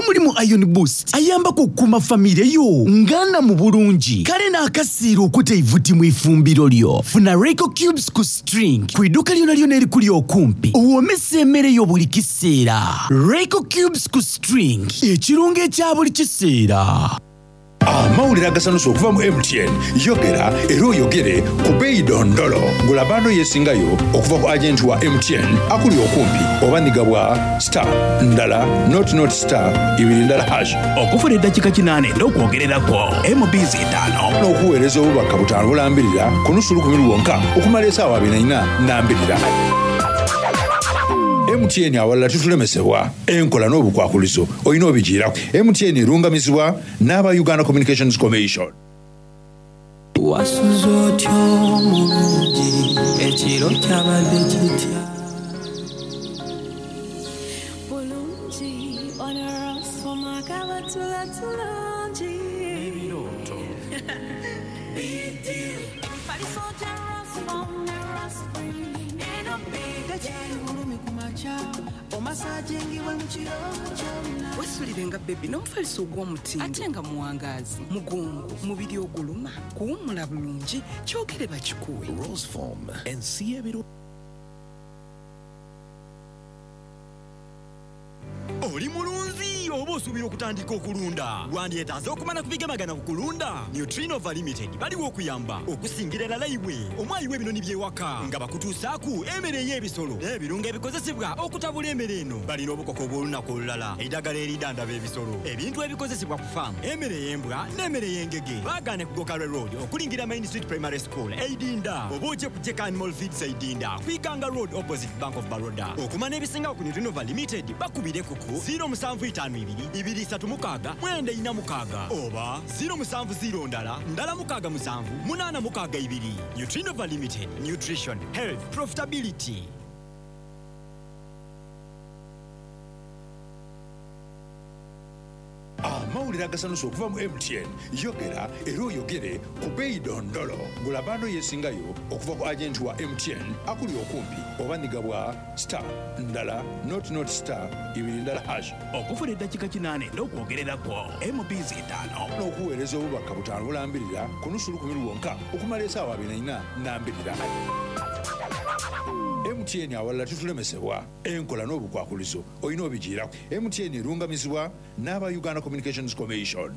Era mulimu Iron Boost ayambaku okukuuma famire yo nga nnamu bulungi. Kale n'akasiira okuta eivuti mu ifumbiro lyo. Funa Royco Cubes ku string ku iduuka lyonalyona erikuli okumpi owoomese emere yo buli kiseera. Royco Cubes ku string, ekirungo ekya buli kiseera. Amawulire agasanusa okuva mu MTN, Yogera era oyogere ku beeyi dondolo. Gula bando yesingayo okuva ku agenti wa MTN akuli okumpi oba nhiga bwa star ndala nought nought star ibiri ndala hash. Okufuna eddakiika kinaana edh'okwogereraku MBs itaanu. N'okuweereza obubaka butaanu bulambirira ku nusu lukumi lwonka okumala esaawa abiri na ina nambirira. MTN awalala titulemesebwa. Enkola n'obukwakulizo olina obijiiraku. MTN erungamizibwa n'aba Uganda Communications Commission. Wasuze otya omulungi ekiro kyabadde kitya? Bulungi ono Rosfom akabatula tulungi. N'ebirooto. Emifaliso gya Rosfom ne Rospring eno big Tekyali bulumi ku makya omasajingibwe mu kiro kyonna. Wesulire nga baby n'omufaliso ogw'omutindo ate nga muwangaazi, mugongo, mubiri oguluma, kuwummula bulungi, kyogere bakikuwe. Rosefoam ensi y'ebiro. Oli mulunzi oba osuubira okutandika okulunda? Wandyetaaze okumanya ku bigemagana ku kulunda? Nutrinova Limited baliwo okuyamba okusingira irala iwe omwayi w'ebinoni by'ewaka nga bakutuusaaku emere ey'ebisolo n'ebirungo ebikozesebwa okutabula emere eno. Balina obukoko obw'olunaku olulala, eidagala eridhandhaba ebisolo, ebintu ebikozesebwa ku faamu, emere ey'embwa n'emere ey'engege. Baagaane ku Gokarwe Road okulingira Main Street Primary School e Idinda oba oje ku Jeka Animal Feeds e Idinda ku Iganga Road opposite Bank of Baroda. Okumanya ebisingawo ku Nutrinova Limited bakubireku ku ziiro musanvu itaanu ibiri, ibiri isatu mukaaga, mwenda ina mukaaga oba ziiro musanvu ziiro ndala, ndala mukaaga musanvu, munaana mukaaga ibiri. Nutrinova Limited, Nutrition, Health, Profitability. Amawulire agasanusa okuva mu MTN, Yogera era oyogere ku beeyi dondolo. Gula bando yesingayo okuva ku agenti wa MTN akuli okumpi oba nhiga bwa star ndala nought nought star ibiri ndala hash. Okufuna eddakiika kinaana edh'okwogereraku MBs itaanu. N'okuweereza obubaka butaanu bulambirira ku nusu lukumi lwonka okumala esaawa abiri na ina nambirira. MTN awalala titulemesebwa. Enkola n'obukwakulizo olina obijiiraku. MTN erungamizibwa n'aba Uganda Communications Commission.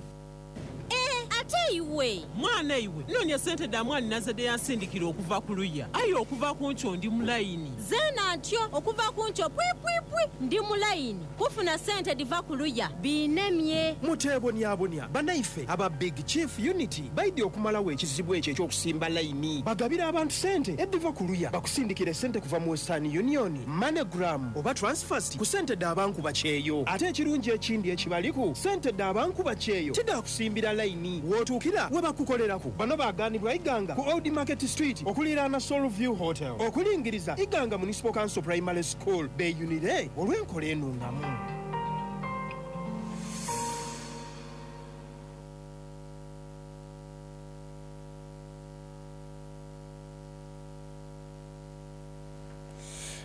Eeh ate iwe? Mwana iwe, nnoonia sente dha mwaninaze dhe yansindikira okuva ku luya. Aye okuva ku nkyo ndi mu layini. Zeena ntyo, okuva ku nkyo pwipwipwi ndi mu layini kufuna sente dhiva ku luya. Biinemye. Muteeboniabonia, banaife aba Big Chief Unity baidhye okumalagho ekizibu ekyo eky'okusimba layini. Bagabira abantu sente edhiva ku luya. Bakusindikira esente kuva mu Western Union, MoneyGram oba Transfast ku sente dha bankuba kyeyo. Ate ekirungi ekindi ekibaliku, sente dha bankuba kyeyo ti dha kusimbira layini. W'otuukira we bakukoleraku. Bano baagaanibwa Iganga ku Old Market Street okuliiraana Soul View Hotel. Okulingiriza Iganga Municipal Council Primary School beeyunire olw'enkola enungamu.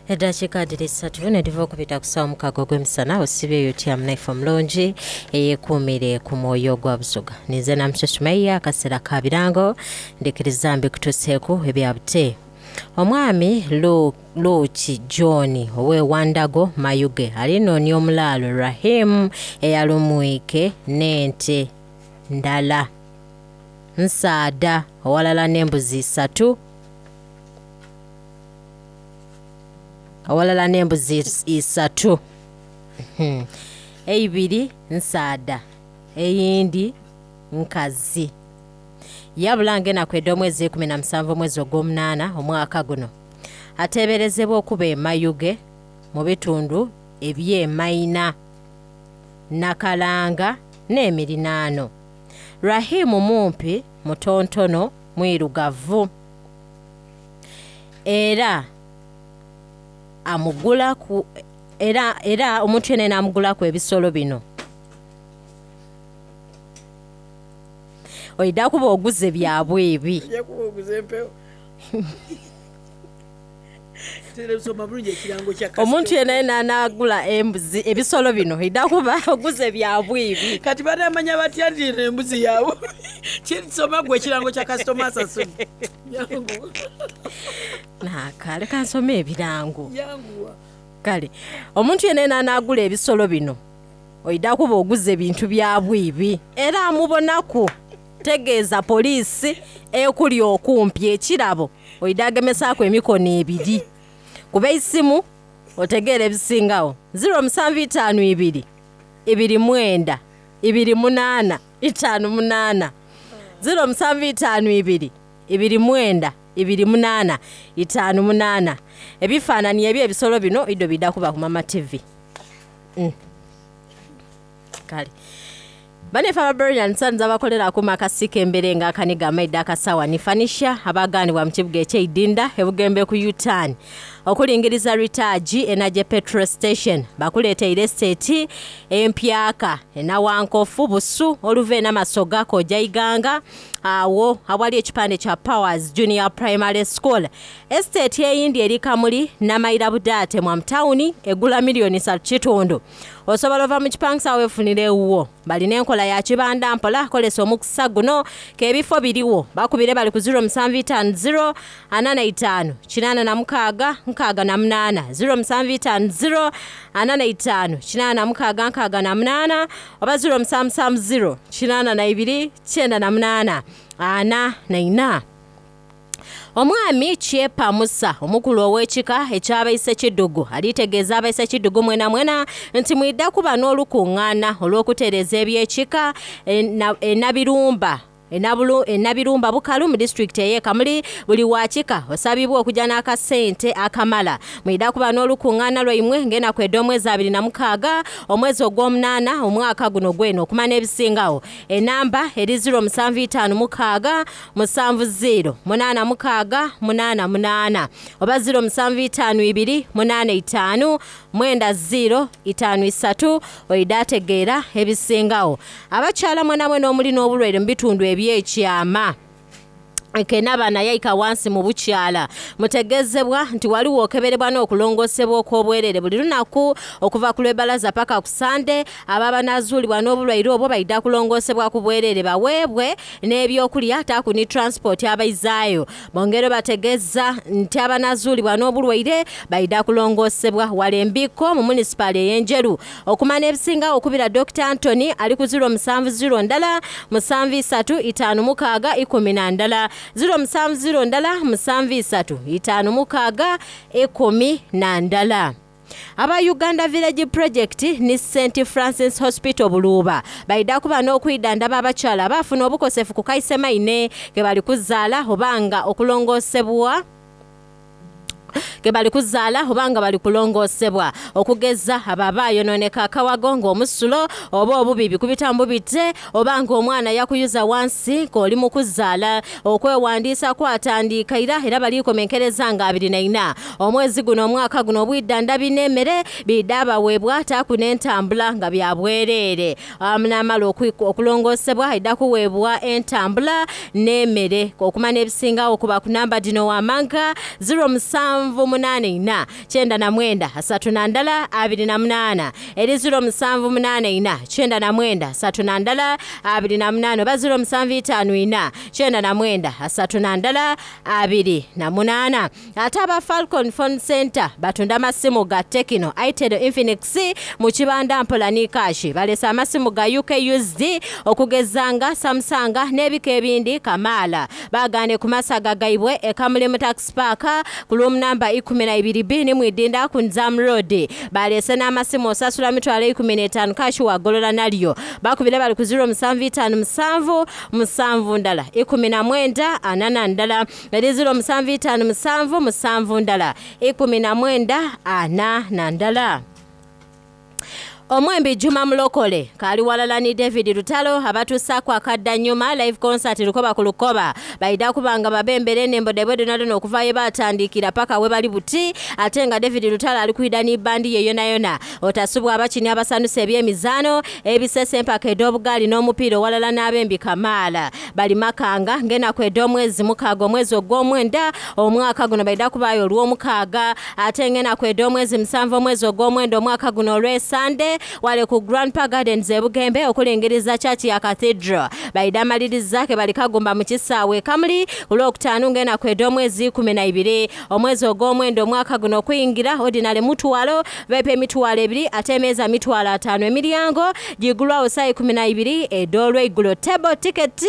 Eddakiika dhiri isatu nedhiva okubita ku saawa mukaaga ogw'emisana osibyeyo otya munaife omulungi eyekuumire ku mwoyo gwa Busoga. Ninze Namuso Sumaiya akaseera ka birango ndikiriza mbikutuseeku ebya bute. Omwami Lu Luuki John ow'e Wandago Mayuge alinoonia omulaalo Rahim eyalumwike n'ente ndala nsaadha owalala n'embuzi isatu. Awalala n'embuzi isatu, eibiri nsaadha eyindi nkazi. Yabula ng'enaku edh'omwezi 17 omwezi ogw'omunaana omwaka guno. Ateeberezebwa okuba e Mayuge mu bitundu eby'e Maina, Nakalanga n'emirinaano. Rahim mumpi, mutontono, mwirugavu. Era amugulaku era era omuntu yenayena amugulaku ebisolo bino oidha kuba oguze bya bwibi. Ojja kuba oguze empewo. Soma bulungi ekirango kya Omuntu yena yena anaagula embuzi ebisolo bino idha kuba oguze bya bwibi. Kati banamanya batya nti eno embuzi ya bubi? Soma gwe ekirango kya kasitoma asasudde. Yanguwa. Naaka leka nsome ebirango. Yanguwa. Kale omuntu yena yena anaagula ebisolo bino oidha kuba oguze bintu bya bwibi era amubonaku tegeeza poliisi ekuli okumpi ekirabo oidha agemesaaku emikono ebiri. Kuba eisimu otegeera ebisingawo 0752 29 28 58 0752 29 28 58 ebifaananyi eby'ebisolo bino idho bidha kuba ku Mama TV. Kale Banefe aba Brilliant Sons abakolera ku makasika embere nga akaniga amaidha akasawa ni fanisha abaganibwa mu kibuga ekyeidinda ebugembe ku U-turn okulingiriza Ritaji Energy Petrol Station bakuleteire estate empyaka enawankofu busu oluva enamasoga koja iganga awo awali ekipande kya Powers Junior Primary School. Estate eyindi eri Kamuli Namaira Budaate mwa mutawuni egula miliyoni satu kitundu. Osobola ova mu kipangisa weefunire ewuwo. Balina enkola ya kibanda mpola kolesa omukisa guno k'ebifo biriwo. Bakubire bali ku 0750 45 86 68 0750 45 86 68 oba 0770 82 98 44. Omwami Kyepa Musa omukulu ow'ekika eky'abaise Kidugu alitegeeza abaise Kidugu mwena mwena nti mwidha kuba n'olukuŋŋaana olw'okutereeza eby'ekika enabirumba enabirumba bukalu mu disitulikiti ey'e Kamuli. Buli wakika osabibwa okujja n'akasente akamala. Mwidha kuba n'olukuŋŋaana lwaimwe ng'enaku edh'omwezi 26 omwezi ogw'omunaana omwaka guno gwene okumanya ebisingawo. Enamba eri 0756 70 86 88 oba 0752 85 90 53 oidha ategeera ebisingawo. Abakyala mwenamwena omuli n'obulwaire mu bitundu ebyekyama kenabana yaika wansi mu bukyala mutegezebwa nti waliwo okeberebwa n'okulongosebwa okw'obwerere buli lunaku okuva ku lw'ebalaza paka ku Sande. Ababa nazuulibwa n'obulwaire obwo baidha kulongosebwa ku bwerere baweebwe n'ebyokulya taaku ni transport abaizaayo. Bongere bategeza nti abanazuulibwa n'obulwaire baidha kulongosebwa wala embiko mu munisipaali ey'Enjeru. Okumanya ebisingawo okubira Dr. Anthony ali ku 070 ndala 73 56 11 070 ndala 73 56 11. Aba Uganda Village Project ni St Francis Hospital Buluuba baidha kuba n'okwidhandhaba abakyala abaafuna obukosefu ku kaisemaine ke bali kuzaala obanga okulongosebwa ke bali kuzaala obanga bali kulongosebwa okugeza abo abaayononeka akawago ng'omusulo oba obubi bikubita mbubite oba ng'omwana yakuyuza wansi ng'oli mu kuzaala. Okwewandiisa kwatandika ira era balikomenkereza nga 24 omwezi guno omwaka guno obwidandhabi n'emmere bidha baweebwa taaku n'entambula nga bya bwereere. Namala okulongosebwa aidha kuweebwa entambula n'emmere. Okumanya ebisingawo kuba ku namba dino wamanga 0784 99 31 28 eri 0784 99 31 28 oba 0754 99 31 28. Ate aba Falcon Phone Center batunda amasimu ga Tecno, Itel, Infinix mu kibanda mpola ni kashi. Balesa amasimu ga UK used okugezanga Samsung n'ebika ebindi kamaala. Bagane ku masaga gaibwe ekamuli mu taxi park ku room number 12B ni mwidinda ku Nzam Road. Balese n'amasimu osasula mitwalo 15 kashi wagolola nalyo. Bakubire bali ku 0757 7 ndala 19 4 ndala eri 0757 7 ndala 19 4 ndala. Omwembi Juma Mulokole k'ali walala ni David Lutalo abatuusaaku akadda nyuma live concert Lukoba ku Lukoba. Baidha kuba nga babembera enhembo dhaibwe dhonadhona okuva ye baatandiikira paka we bali buti ate nga David Lutalo ali kwidha ni bbandi ye yonayona. Otasubwa abakini abasanusa eby'emizaano, ebisesa, empaka edh'obugaali n'omupiira owalala n'abembi kamaala. Bali Makanga ng'enaku edh'omwezi mukaaga omwezi ogw'omwenda omwaka guno baidha kubaayo Olwomukaaga ate ng'enaku edh'omwezi musanvu omwezi ogw'omwenda omwaka guno Olwesande wale ku Grandpa Gardens e Bugembe okulingiriza Church ya Cathedral. Baidha maliriza ke bali kagumba mu kisaawe e Kamuli ku Lwokutaanu ng'enaku edh'omwezi 12 omwezi ogw'omwenda omwaka guno okuyingira ordinary mutwalo VIP emitwalo ebiri ate emeeza mitwalo ataanu. Emiryango gigulwagho saawa 12 edh'olweigulo. Table ticket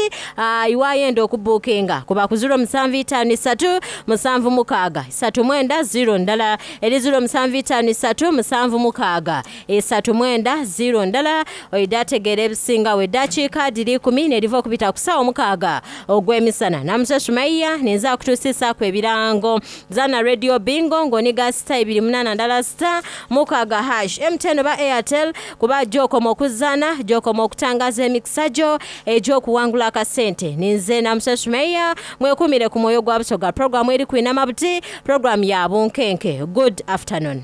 iwayenda okubuukinga kuba ku ziro musanvu itaanu isatu musanvu mukaaga isatu mwenda ziro ndala eri ziro musanvu itaanu isatu musanvu mukaaga isatu mwenda ziro ndala oidha ategeera ebisingagho. Eddakiika dhiri ikumi n'edhiva okubita ku saawa omukaaga ogw'emisana. Namusa Sumaiya ninze akutuusisaaku ebirango. Zana Radio Bingo ng'oniga sita ibiri munaana ndala sita mukaaga hash. MTN oba Airtel kuba gy'okoma okuzaana gy'okoma okutangaza emikisa gyo egy'okuwangula akasente. Ninze Namusa Sumaiya, mwekuumire ku mwoyo gwa Busoga. Pulogulaamu eri kwinama buti, pulogulaamu ya bunkenke. Good afternoon.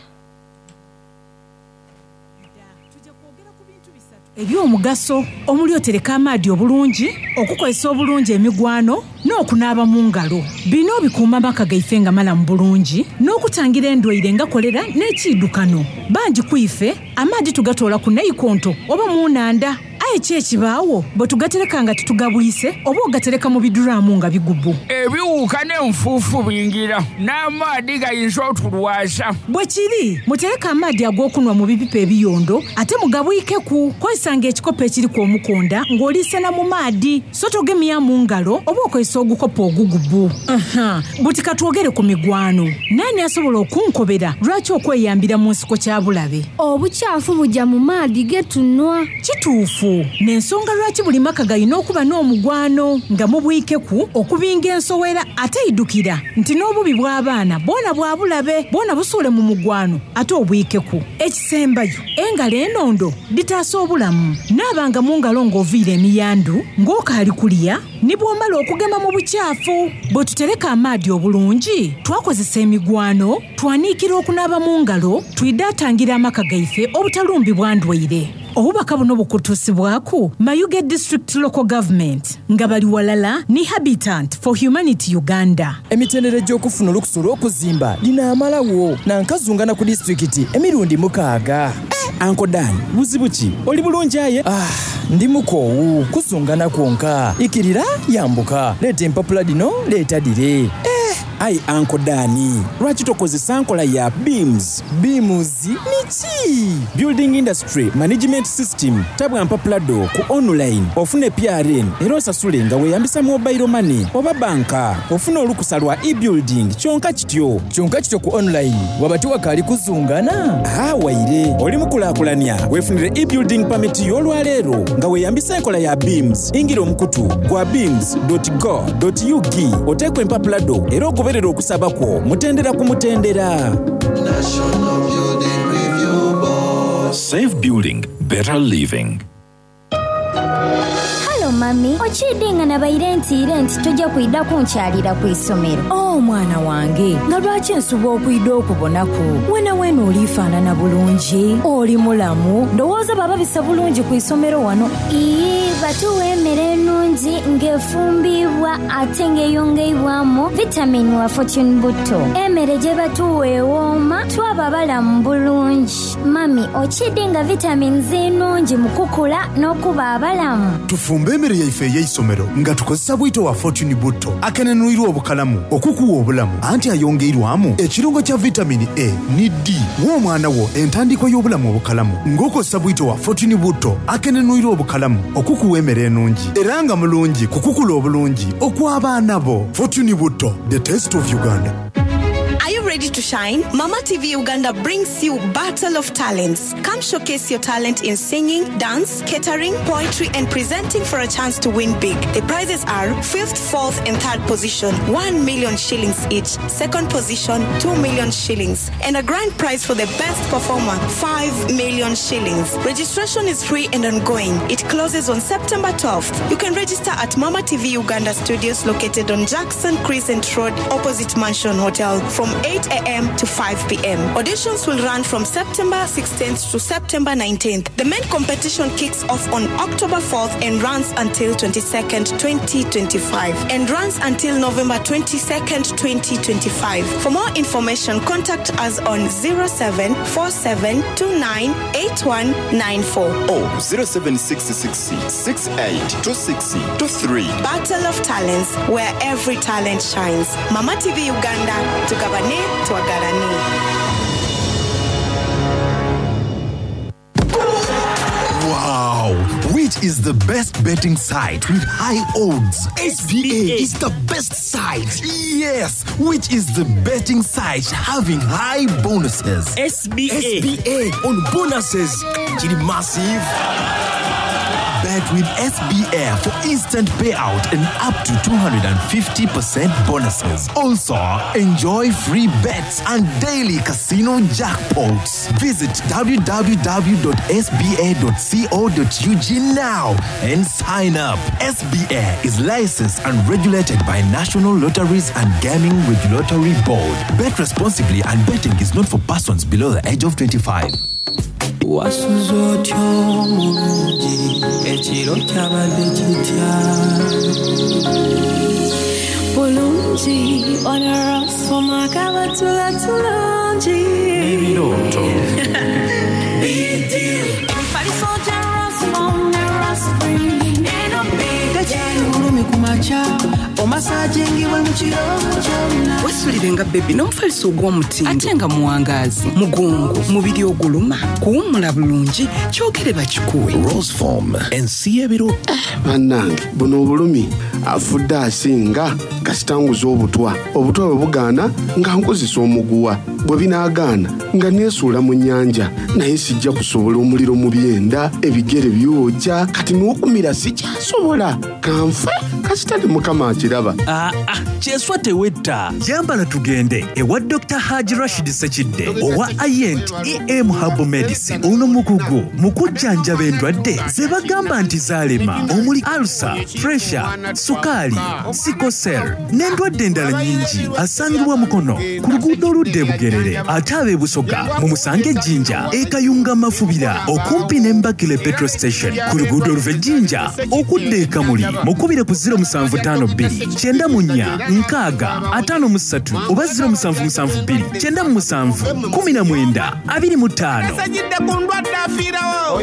Eby'omugaso omuli otereka amaadhi obulungi, okukozesa obulungi emigwano, n'okunaaba mu ngalo. Bino bikuuma amaka gaife nga malamu bulungi n'okutangira endwaire nga kolera n'ekiidukano. Bangi ku ife amaadhi tugatoola ku naikonto oba mu nhandha. Aye ki ekibaagho bwe tugatereka nga titugabwise oba ogatereka mu biduraamu nga bigubu? Ebiwuuka n'enfuufu bingira, n'amaadhi gayinza otulwaza. Bwe kiri, mutereke amaadhi ag'okunhwa mu bipipa ebiyondo ate mugabwikeku. Kozesanga ekikopo ekiriku omukonda ng'oliisena mu maadhi, so togemyamu ngalo oba okozesa ogukopo ogugubu. Aha, buti ka twogere ku migwano. Naani asobola okunkobera lwaki okweyambira mu nsiko kya bulabe? Obukyafu buja mu maadhi ge tunhwa. Kituufu. N'ensonga lwaki buli maka galina okuba n'omugwano nga mubwikeku okubinga ensowera ate idhukira nti n'obubi bw'abaana bwona bwa bulabe bwona busuule mu mugwano ate obwikeku. Ekisembayo, engalo enondo dhitaasa obulamu. Naabanga mu ngalo ng'oviire emiyandhu, ng'okaali kulya, ni bw'omala okugema mu bukyafu. Bwe tutereka amaadhi obulungi, twakozesa emigwano, twaniikira okunaaba mu ngalo, twidha tangira amaka gaife obutalumbibwa ndwaire. Obubaka buno bukutuusibwaku Mayuge District Local Government nga bali walala ni Habitant for Humanity Uganda. Emitendera egy'okufuna olukusa olw'okuzimba dhinaamalagho na nkazungana ku disitulikiti emirundi mukaaga. Anko Dan, buzibu ki? Oli bulungi aye? Ah, ndi mukoowu. Kuzungana kwonka. Ikirira, yambuka. Leeta empapula dhino, leeta dhire. Eh! Aye Anko Dan, lwaki tokozesa nkola ya BIMS? BIMS ni ki? Building Industry Management System. Tabwa mpapula dho ku online ofune PRN era osasule nga weyambisa mobile money oba banka. Ofune olukusa lwa e-building kyonka kityo. Kyonka kityo ku online waba tiwakaali kuzungana? Haa waire. Oli mukulakulania wefunire e-building permit yo olwaleero nga weyambisa enkola ya BIMS. Ingira omukutu gwa bims dot go dot ug oteeku empapula dho era ogoberere okusaba kwo mutendera ku mutendera. National Building Review Board. Safe building, better living. Halo mami, okiidhi nga nabaire ntiire nti toja kwidha kunkyalira ku isomero? Oh mwana wange, nga lwaki nsubwa okwidha okubonaku? Wenaweena oli faanana bulungi, oli mulamu, ndowooza bababisa bulungi ku isomero wano. Iyii, batuwa emere enungi nga efumbiibwa ate nga eyongeibwamu vitamini wa Fortune Butto. Emere gyebatuwa ewooma twaba balamu bulungi. Mami, okiidhi nga vitamins nnungi mu kukula n'okuba abalamu? Tufumbe emere yaife ey'eisomero nga tukozesa bwito wa Fortune Butto akenenwirwa obukalamu okukuwa obulamu anti ayongeirwamu ekirungo kya vitamini A ni D. Wa omwana wo entandikwa y'obulamu obukalamu ng'okozesa bwito wa Fortune Butto akenenwirwa obukalamu okukuwa emere enungi era nga mulungi ku kukula obulungi okw'abaana bo. Fortune Butto, the taste of Uganda. Are you ready? ready to shine? Mama TV Uganda brings you Battle of Talents. Come showcase your talent in singing, dance, catering, poetry, and presenting for a chance to win big. The prizes are fifth, fourth, and third position, 1 million shillings each, second position, 2 million shillings, and a grand prize for the best performer, 5 million shillings. Registration is free and ongoing. It closes on September 12th. You can register at Mama TV Uganda Studios located on Jackson Crescent Road, opposite Mansion Hotel, from 8 a.m. to 5 p.m. Auditions will run from September 16th to September 19th. The main competition kicks off on October 4th and runs until 22nd, 2025, and runs until November 22nd, 2025. For more information, contact us on 0747298194. Or 0766 682623. Battle of Talents, where every talent shines. Mama TV Uganda, tugabane, twagalane. Wow! Which is the best betting site with high odds? SBA is the best site. Yes! Which is the betting site having high bonuses? SBA. SBA on bonuses. Chili massive. Bet with SBA for instant payout and up to 250% bonuses. Also, enjoy free bets and daily casino jackpots. Visit www.sba.co.ug now and sign up. SBA is licensed and regulated by National Lotteries and Gaming Regulatory Board. Bet responsibly and betting is not for persons below the age of 25. Wasuze otya omulungi ekiro kyabadde kitya Bulungi onarasoma kabatula tulungi. N'ebirooto. Emifaliso gya Rasmom ne Raspberry eno big tekyali bulumi ku makya omasajingibwa mu kiro kyonna. Wesulire nga bebi n'omufaliso ogw'omutindo ate nga muwangaazi mugongo mubiri oguluma kuwummula bulungi kyogere bakikuwe. Roseform ensi y'ebiro. Bannange, buno obulumi afudde asinga kasitanguza obutwa. Obutwa bwe bugaana nga nkozesa omuguwa, bwe binaagaana nga neesuula mu nnyanja, naye sijja kusobola omuliro mu byenda, ebigere byokya, kati n'okumira sikyasobola. Kanfe kasita ne Mukama akiraba. Aa, kyeswa tewetta. Yambala tugende ewa Dr Haji Rashid Sekidde owa Ient Em Herbal Medicine. Ono mukugu mu kujjanjaba endwadde ze bagamba nti zaalema, omuli alsa, pressure, sukaali, sikosel n'endwadde endala nnyingi. Asangibwa Mukono ku luguudo oludda e Bugerere, ate ab'e Busoga mumusange Jjinja e Kayunga Mafubira okumpi ne Mbakile petrol station ku luguudo oluva e Jjinja okudda e Kamuli. Mukubire ku 0752 94 60 53 oba 0772 97 19 25. Esajidde ku ndwadde afiirawo.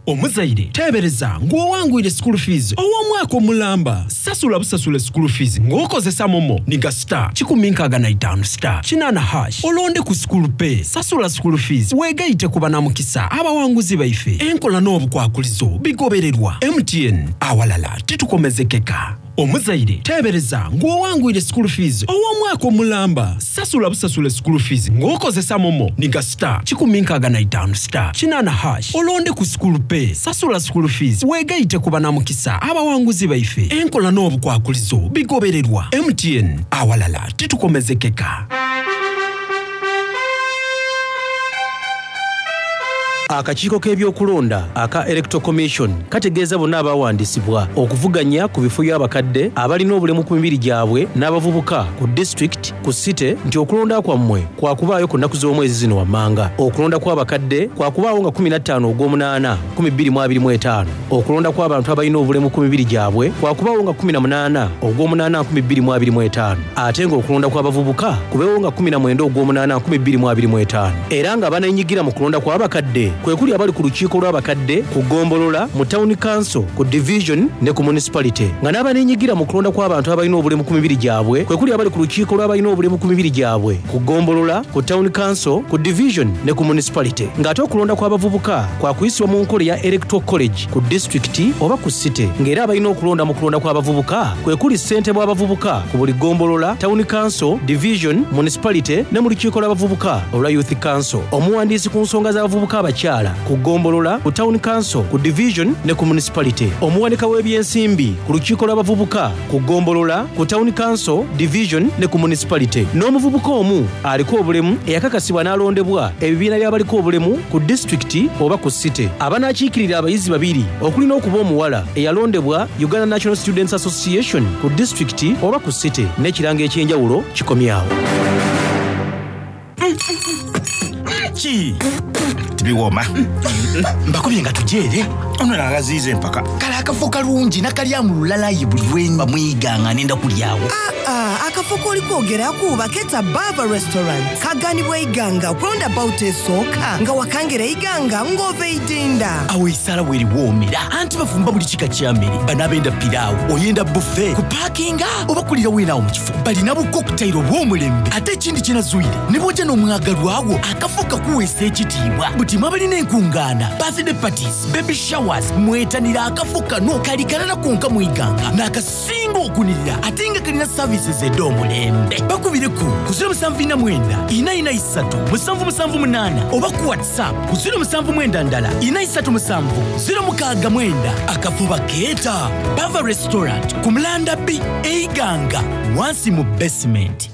Omuzaire teebereza ng'owangwire school fees ow'omwaka omulamba. Sasula busasula school fees ng'okozesa momo niga star 165 star 8 hash olonde ku school pay. Sasula school fees weegayite ku banamukisa abawanguzi baife. Enkola n'obukwakulizo bigobererwa. MTN, awalala titukomezekeka. Omuzaire teebereza ng'owangwire school fees ow'omwaka omulamba. Sasula busasula school fees ng'okozesa momo niga star 165 star 8 hash olonde ku school pay. Sasula school fees weegayite ku banamukisa abawanguzi baife. Enkola n'obukwakulizo bigobererwa. MTN, awalala titukomezekeka. Akakiiko k'ebyokulonda aka Electoral Commission kategeeza bonna abawandiisibwa okuvuganya ku bifo by'abakadde abalina obulemu ku mibiri gyabwe n'abavubuka ku disitulikiti ku site nti okulonda kwammwe kwakubaayo ku nnaku z'omwezi zino wammanga. Okulonda kw'abakadde kwakubaawo nga 15 Ogwomunaana 2025. Okulonda kw'abantu abalina obulemu ku mibiri gyabwe kwakubaawo nga 18 Ogwomunaana 2025, ate ng'okulonda kw'abavubuka kubeewo nga 19 Ogwomunaana 2025, era nga abaneenyigira mu kulonda kw'abakadde kwe kuli abali ku lukiiko lw'abakadde ku ggombolola, mu Town Council, ku Division ne ku Municipality nga n'abaneenyigira mu kulonda kw'abantu abalina obulemu ku mibiri gyabwe kwe kuli abali ku lukiiko lw'abalina obulemu ku mibiri gyabwe ku ggombolola, ku Town Council, ku Division ne ku Municipality ng'ate okulonda kw'abavubuka kwa kuyisibwa mu nkola eya Electoral College ku disitulikiti oba ku City ng'era abalina okulonda mu kulonda kw'abavubuka kwe kuli ssentebe w'abavubuka ku buli ggombolola, Town Council, Division, Municipality ne mu lukiiko lw'abavubuka olwa Youth Council. Omuwandiisi ku nsonga z'abavubuka abakyala ku ggombolola, ku Town Council, ku Division ne ku Municipality. Omuwanika w'ebyensimbi ku lukiiko lw'abavubuka ku ggombolola, ku Town Council, Division ne ku Municipality. N'omuvubuka omu aliko obulemu eyakakasibwa n'alondebwa ebibiina by'abaliko obulemu ku disitulikiti oba ku City. Abanaakiikirira abayizi babiri okuli n'okuba omuwala eyalondebwa Uganda National Students Association ku disitulikiti oba ku City n'ekirango eky'enjawulo kikomye awo. Ki? Tibiwooma. Mbakubye nga tujeere. Ono nagaziiza empaka. Kale akafo kalungi nakalyamu lulalayi buli lwemba mwiga nga nenda kulyawo. Ah, akafo k'oli kwogeraku baketa Bava Restaurant kaganibwa Iganga ku roundabout esooka nga wakangira Iganga ng'ova Idinda. Awo esaala weriwoomera anti bafumba buli kika kya mmere bano abenda piraawo oyenda buffet kupaakinga oba kulira weenaawo mu kifo balina bu cocktail obw'omulembe ate ekindi kyenazuire ne bw'ojja n'omwagalwa wo akafo kakuweesa ekitiibwa buti mwe abalina enkungaana birthday parties baby showers mwetanira akafo kano kali kalala konka mu Iganga n'akasinga okunirira ate nga kalina services ed'omulembe bakubire ku 079 443 778 oba ku whatsapp ku 079 ndala 437 069 akafo bakeeta Bava Restaurant ku Mulanda B e Iganga wansi mu basement.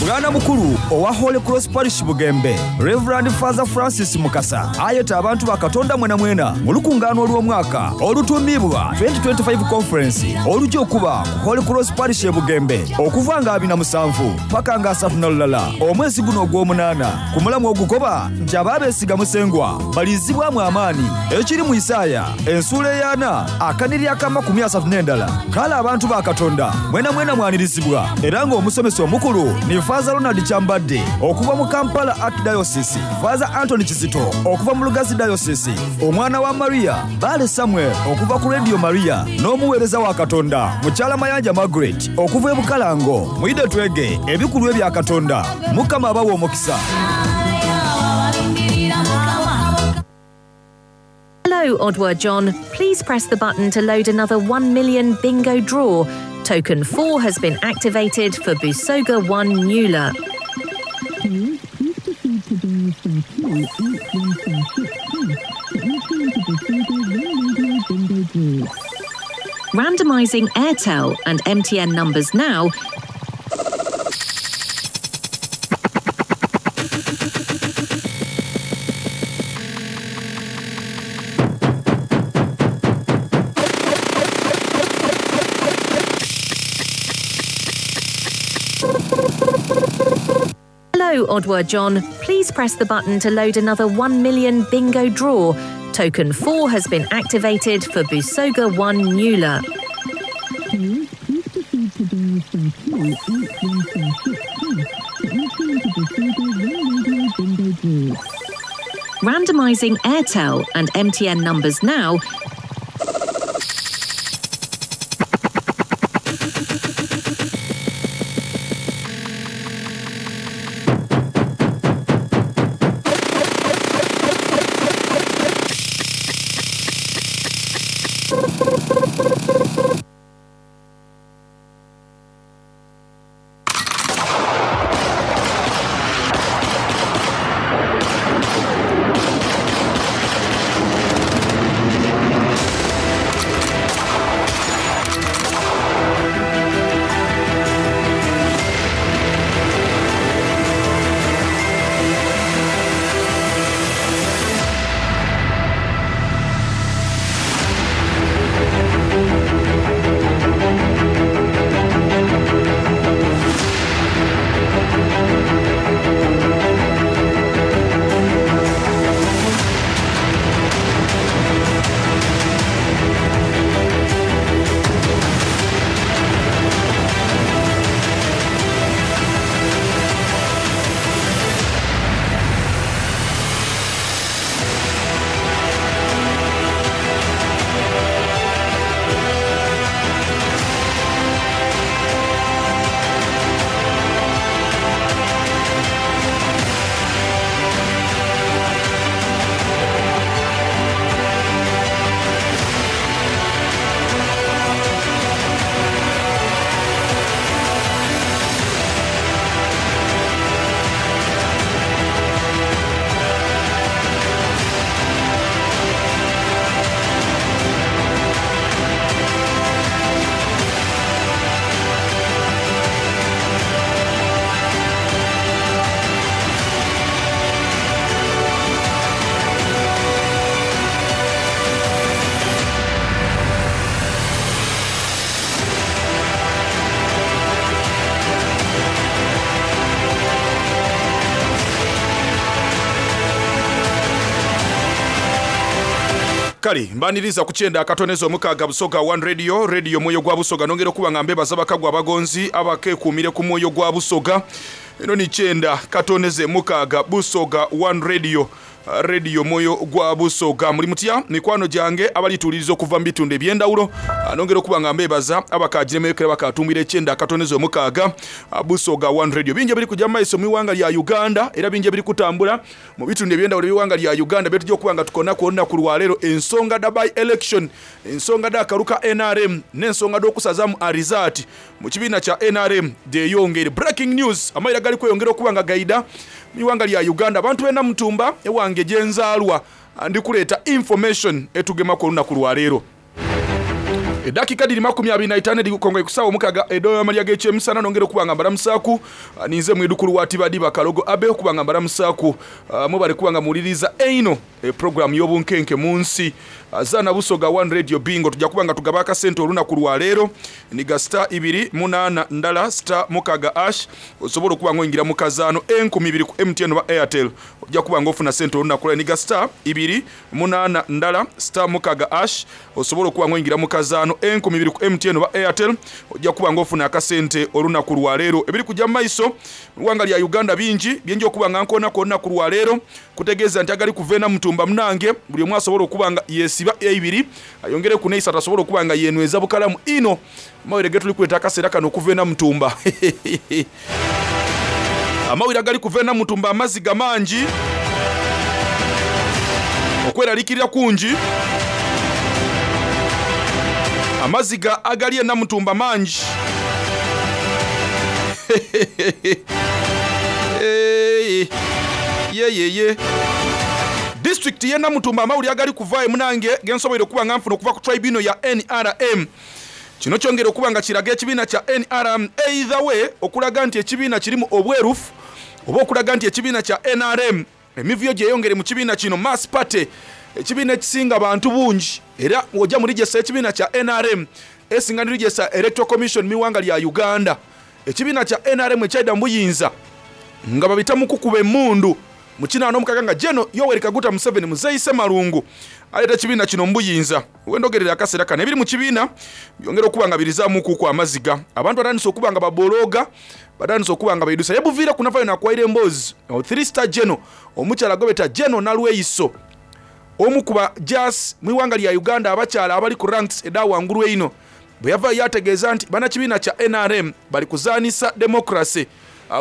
Bwana mukulu owa Holy Cross Parish Bugembe, Reverend Father Francis Mukasa ayeta abantu ba Katonda mwena mwena mu lukungaano olw'omwaka olutuumibwa 2025 Conference olujja okuba ku Holy Cross Parish e Bugembe okuva nga 27 paka nga 31 omwezi guno ogw'omunaana ku mulamwa ogukoba nti ababeesiga Musengwa balizibwamu amaani ekiri mu Isaaya ensuula ey'ana akaniri ak'amakumi asatu n'endala. Kale abantu ba Katonda mwena mwena mwanirizibwa era ng'omusomesa omukulu ni Faaza Ronald Kyambadde okuva mu Kampala Archdiocese, Faaza Anthony Kizito okuva mu Lugazi Diocese, omwana wa Maria Bbaale Samuel okuva ku Radio Maria n'omuweereza wa Katonda Mukyala Mayanja Margaret okuva e Bukalango. Mwidhe twege ebikulu ebya Katonda. Mukama abawe omukisa. Hello, Odwa John. Please press the button to load another 1 million bingo draw. Token 4 has been activated for Busoga 1 Nula. Randomising Airtel and MTN numbers now. Hello, Odwa John. Please press the button to load another 1 million bingo draw. Token 4 has been activated for Busoga 1 Nula. Randomising Airtel and MTN numbers now. Kale mbaniriza ku kyenda akatoneza omukaaga Busoga One Radio, Radio Mwoyo gwa Busoga. Nongera okuba nga mbebaza bakagwa abagonzi abakekuumire ku mwoyo gwa Busoga. Eno ni kyenda katoneze mukaaga Busoga One Radio, Radio Mwoyo gwa Busoga. Muli mutya mikwano gyange abalituuliriza okuva mu bitundu eby'endawulo? Nongera okuba nga mbebaza abakagiremekera bakatumbira ekyenda akatoneze omukaaga Busoga One Radio. Bingi ebiri kujja mu maiso mu iwanga lya Uganda era bingi ebiri kutambula mu bitundu eby'endawulo eby'eighanga lya Uganda byetujja okuba nga tukonaku olunaku lwaleero. Ensonga dha by election, ensonga dha kalu ka nrm n'ensonga dh'okusazamu arizaati mu kibiina kya nrm dheyongeire. Breaking news, amaira gali kweyongera okuba nga gaidha mu ighanga lya Uganda. Abantu b'e Namutumba ewange gyenzaalwa ndi kuleeta information etugemaku olunaku lwaleero. Edakika dhiri 25 edhikukongoye ku saawa omukaaga edh'amalya g'ekyemisana. Nongera okuba nga mbalamusaaku ninze mwidhukulu wa Tibadiba Kalogo Abe okuba nga mbalamusaaku. Mwebale kuba nga muwuliriza einho pulogulaamu y'obunkenke mu nsi. Zaana Busoga One Radio Bingo tuja kuba nga tugaba akasente olunaku lwa leero. Nhiga star ibiri munaana ndala star mukaaga ash osobole okuba nga oingira mu kazaano enkumi ibiri ku MTN oba Airtel. Oja kuba nga ofuna sente olunaku lwa leero. Nhiga star ibiri munaana ndala star mukaaga ash osobole okuba nga oingira mu kazaano 2000 ku MTN oba Airtel. Ojja kuba nga ofuna akasente olunaku lwa leero. Ebiri kujja mu maiso mu ighanga lya Uganda bingi bye nja okuba nga nkoonaku olunaku lwa leero. Kutegeeza nti agali kuva e Namutumba munange buli omu asobola okuba nga yesiba eibiri ayongereku n'eisatu asobole okuba nga yenweza bukalamu inho. Amawulire getuli kuleeta akaseera kano okuva e Namutumba. Amawulire agali kuva e Namutumba amaziga mangi, okweralikirira kungi. Amaziga agali e Namutumba mangi. Yeyeye. Disitulikiti y'e Namutumba amawulire agali kuvaayo munange gensoboire okuba nga nfuna okuva ku tribunal ya nrm. Kino kyongera okuba nga kiraga ekibiina kya nrm either way okulaga nti ekibiina kirimu obwerufu oba okulaga nti ekibiina kya nrm emivuyo gyeyongere mu kibiina kino. Mass Party ekibiina ekisinga bantu bungi era bwoja mu register y'ekibiina kya nrm esinga ni register ya Electoral Commission mu ighanga lya Uganda. Ekibiina kya nrm ekyaidha mu buyinza nga babita mu kukuba emundu mu kinaana omukaaga nga Gen Yoweri Kaguta Museveni Muzeeyi Ssemalungu aleeta ekibiina kino mu buyinza. Wendogerera akaseera kano ebiri mu kibiina byongera okuba nga birizaamukuku amaziga. Abantu batandise okuba nga babolooga, batandise okuba nga baidusa. Ye buviireku navayo nakwaira emboozi Three Star General omukyala gwebeta General Nalweyiso omu ku ba jaasi mu ighanga lya Uganda abakyala abali ku ranks edha wangulu einho bweyavaayo yategeeza nti banakibiina kya nrm bali kuzaanisa democracy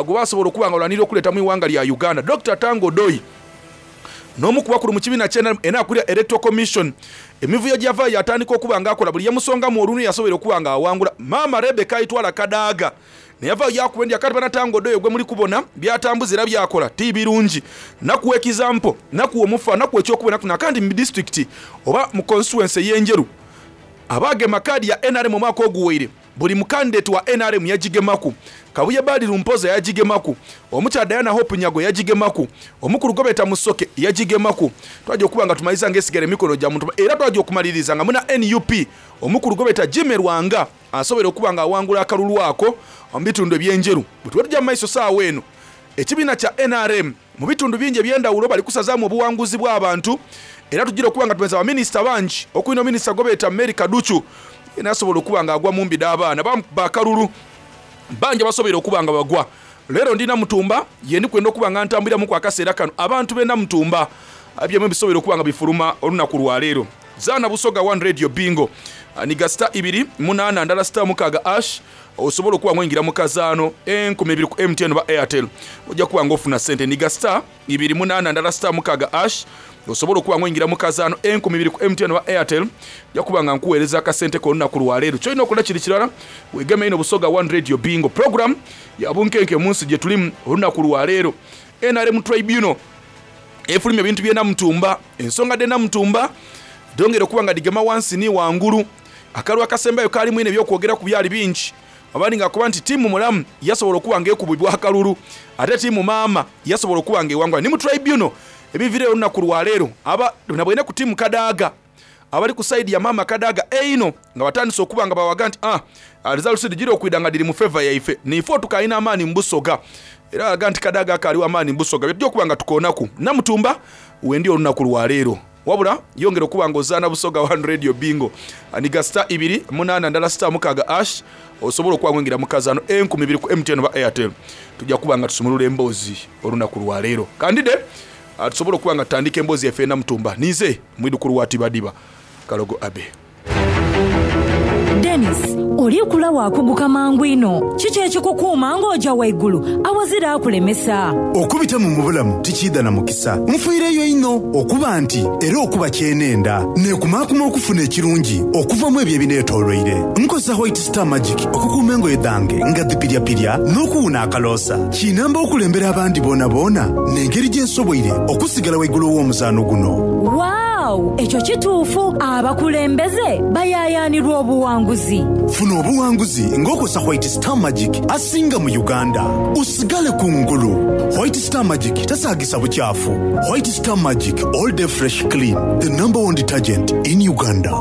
gwebasobola okuba nga balwanirira okuleeta mu ighanga lya Uganda. Dokita Tanga Odoi n'omu ku bakulu mu kibiina kya nrm era akulira Electoral Commission emivuyo gyeyavaayo yatandika okuba nga akola buli yemusongamu olunwe yasoboire okuba nga awangula. Maama Rebecca Aitwala Kadaga neyavaayo yakuba endya kati bana Tanga Odoi gwemuli kubona byatambuza era byakola ti birungi. Nakuwa ekizampo, nakuwa omufa, nakuwa ekyokuboneraku nakandi mu disitulikiti oba mu constituency ey'Enjeru abaagema kaadi ya nrm omwaka oguwaire Buli mukandideti wa nrm yagigemaku. Kabuye Badiru Mpoza yagigemaku. Omukyala Diana Hope Nyago yagigemaku. Omukulu gwebeta Musoke yagigemaku. Twaja okuba nga tumaliriza nga esigaire mumikono gya muntu era twaja okumaliriza nga muna nup omukulu gwebeta Jimmy Lwanga asoboire okuba nga awangula akalulu ako mubitundu ebyenjeru. Bwetuba tuja mumaiso saawa eno ekibiina kya nrm mubitundu bingi ebyendawulo bali kusazaamu obuwanguzi bwabantu era tujira okuba nga tumeza baminisita bangi okuli no minisita gwebeeta Mary Kaducu yena asobola okuba nga agwa mumbi dhabaana bamukuba akalulu bangi abasoboire okuba nga bagwa. Leero ndi Namutumba yendi kwenda okuba nga ntambuliramuku akaseera kano abantu be Namutumba byemwe bisoboire okuba nga bifuluma olunaku lwaleero. Zaana Busoga One Radio Bingo niga star ibiri munaana ndala star mukaaga ash osobola okuba nga oingira mu kazaano 2000 ku MTN oba Airtel ojja kuba nga ofuna sente. Niga star ibiri munaana ndala star mukaaga ash osobola okuba nga oingira mu kazaano 2000 ku MTN oba Airtel nja kuba nga nkuweereza akasente ko olunaku lwaleero. Kyolina okola kiri kirala, wegeme inho Busoga One Radio Bingo program ya bunkenke mu nsi gyetulimu olunaku lwaleero. Nrm Tribunal efulumya ebintu by'e Namutumba. Ensonga dh'e Namutumba dhongera okuba nga dhigema wansi ni wangulu. Akalulu akasembayo kaalimu inho eby'okwogeraku byali bingi. Abandi nga bakoba nti tiimu mulamu yasobola okuba nga ekubibwa akalulu ate tiimu maama yasobola okuba nga ewangula. Ni mu Tribunal ebiviireyo olunaku lwaleero, aba nabweine ku tiimu Kadaga abali ku sayidi ya maama Kadaga einho nga batandise okuba nga bawaga nti ah results dhijira okwidha nga dhiri mu favour yaife niife otukalina amaani mu Busoga. Era balaga nti Kadaga akaali wa maani mu Busoga. Byetujja okuba nga tukoonaku. Namutumba wendi olunaku lwaleero. Wabula yongera okuba nga ozaana Busoga One Radio Bingo. Niga star ibiri munaana ndala star mukaaga ash osobola okuba nga oyingira mu kazaano 2000 ku MTN oba Airtel. Tujja kuba nga tusumulula emboozi olunaku lwa leero. Kandide tusobole okuba nga tutandika emboozi yaffe Namutumba. Ninze mwidhukulu wa Tibadiba Kalogo Abbey. Denis, oli kula waakuguka mangu inho. Kiki ekikukuuma ng'oja waigulu awazira akulemesa? Okubitamu mu bulamu tikiidha na mukisa. Nfiireyo inho okuba nti era okuba kyenenda. Neekumaakuma okufuna ekirungi okuva mu ebyo ebineetooloire. Nkozesa White Star Magic okukuuma engoye dhange nga dhipiryapirya n'okuwuna akaloosa. Kinamba okulembera abandi boonaboona n'engeri gye nsoboire okusigala waigulu ow'omuzaano guno. Waaw! Ekyo kituufu! Abakulembeze bayaayaanirwa obuwanguzi. Funa obuwanguzi ng'okozesa White Star Magic asinga mu Uganda. Osigale ku ngulu! White Star Magic tasaagisa bukyafu. White Star Magic all day fresh clean, the number one detergent in Uganda.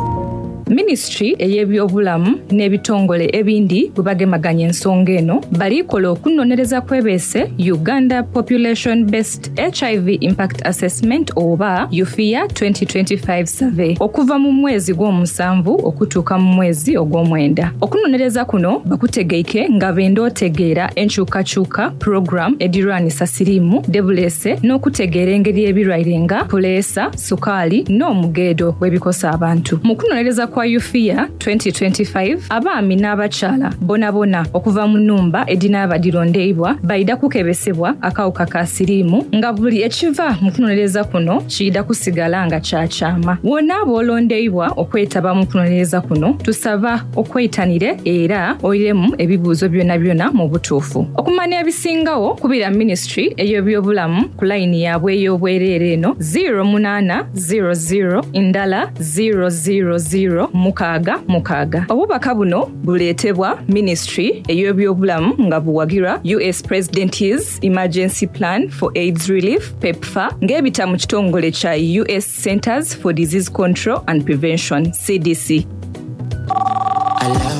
Minisitule ey'ebyobulamu n'ebitongole ebindi bwe bagemaganya ensonga eno, bali kola okunonereza kwebeese Uganda Population Based HIV Impact Assessment oba UFIA 2025 Survey okuva mu mwezi gw'omusanvu okutuuka mu mwezi ogw'omwenda. Okunonereza kuno bakutegeike nga benda otegeera enkyukakyuka program edhirwanisa siriimu dhebuleese n'okutegeera engeri ebirwaire nga puleesa, sukaali n'omugeedo bwebikosa abantu. Mu kunonereza kwa UFIA 2025, abaami n'abakyala bonabona okuva mu nhumba edhinaaba dhilondeibwa baidha kukebesebwa akawuka ka siriimu nga buli ekiva mu kunonereza kuno kiidha kusigala nga kya kyama. Bw'onaaba olondeibwa okwetaba mu kunonereza kuno, tusaba okweitanire era oiremu ebibuuzo byonabyona mu butuufu. Okumanya ebisingagho, kubira Minisitule ey'ebyobulamu ku layini yaabwe ey'obwereere eno, ziiro munaana ziiro ziiro ndala ziiro ziiro ziiro mukaaga mukaaga. Obubaka buno buleetebwa Minisitule ey'ebyobulamu nga buwagirwa US President's Emergency Plan for AIDS Relief, PEPFAR, ng'ebita mu kitongole kya US Centers for Disease Control and Prevention, CDC.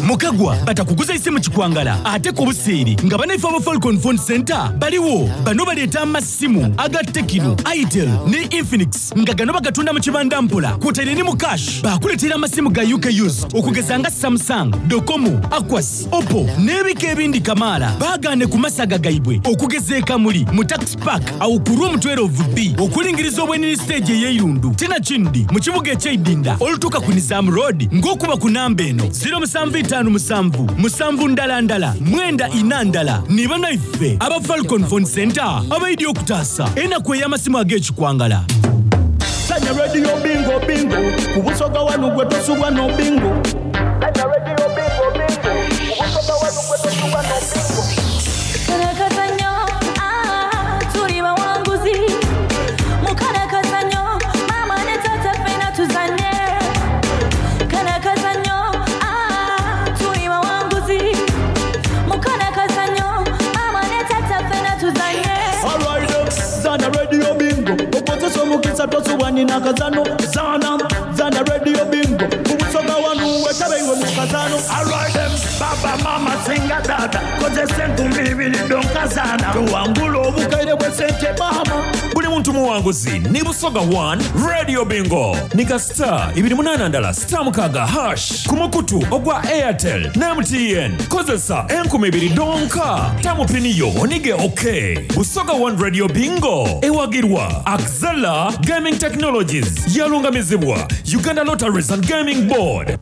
Mukagwa batakuguza isimu kikwangala ate ku buseere nga banaife aba Falcon Phone Center baliwo. Bano baleeta amasimu aga Tecno, Itel ne Infinix nga gano bagatunda mu kibanda mpola kwotaire ni mu cash. Bakuleetera amasimu ga UK used okugeza nga Samsung, Docomo, Aquas, Oppo n'ebika ebindi kamaala. Baagaane ku masaga gaibwe okugeza e Kamuli mu Tax Park awo ku Room 12B okulingiriza obwenini siteegi ey'eirundu tinakindi mu kibuga eky'eidinda olutuuka ku Nizam Road ng'okuba ku namba eno ziro musanvu itaanu musanvu musanvu ndala ndala mwenda ina ndala. Ni banaife aba Falcon Phone Center abaidye okutaasa enaku ey'amasimu ag'ekikwangala. Sanya Radio Bingo Bingo ku Busoga wano gwe tosubwa no bingo. Sanya Radio Bingo Bingo ku Busoga wano gwe tosubwa no bingo. Karakazanyo, ah, tuli bawanguzi. Mukarakazanyo, mama ne tata ffena tuzanye. Karakazanyo, ah, tuli bawanguzi. Mukarakazanyo, mama ne tata ffena tuzanye. Alright, zana Radio Bingo okozesa omukisa tosubwa nina kazano. Zana zana Radio Bingo ku Busoga wano wetabe iwe mu kazano. Alright, baba mama singa tata kozesa enkumi ibiri donkazana tuwangula obukaire bw'esente mama. Buli muntu muwanguzi ni Busoga 1 Radio Bingo ni ka star ibiri munaana ndala star mukaaga hash ku mukutu ogwa Airtel ne MTN. Kozesa enkumi ibiri donka tamu pini yo onige okay. Busoga 1 Radio Bingo ewagirwa Axela Gaming Technologies yalungamizibwa Uganda Lotteries and Gaming Board.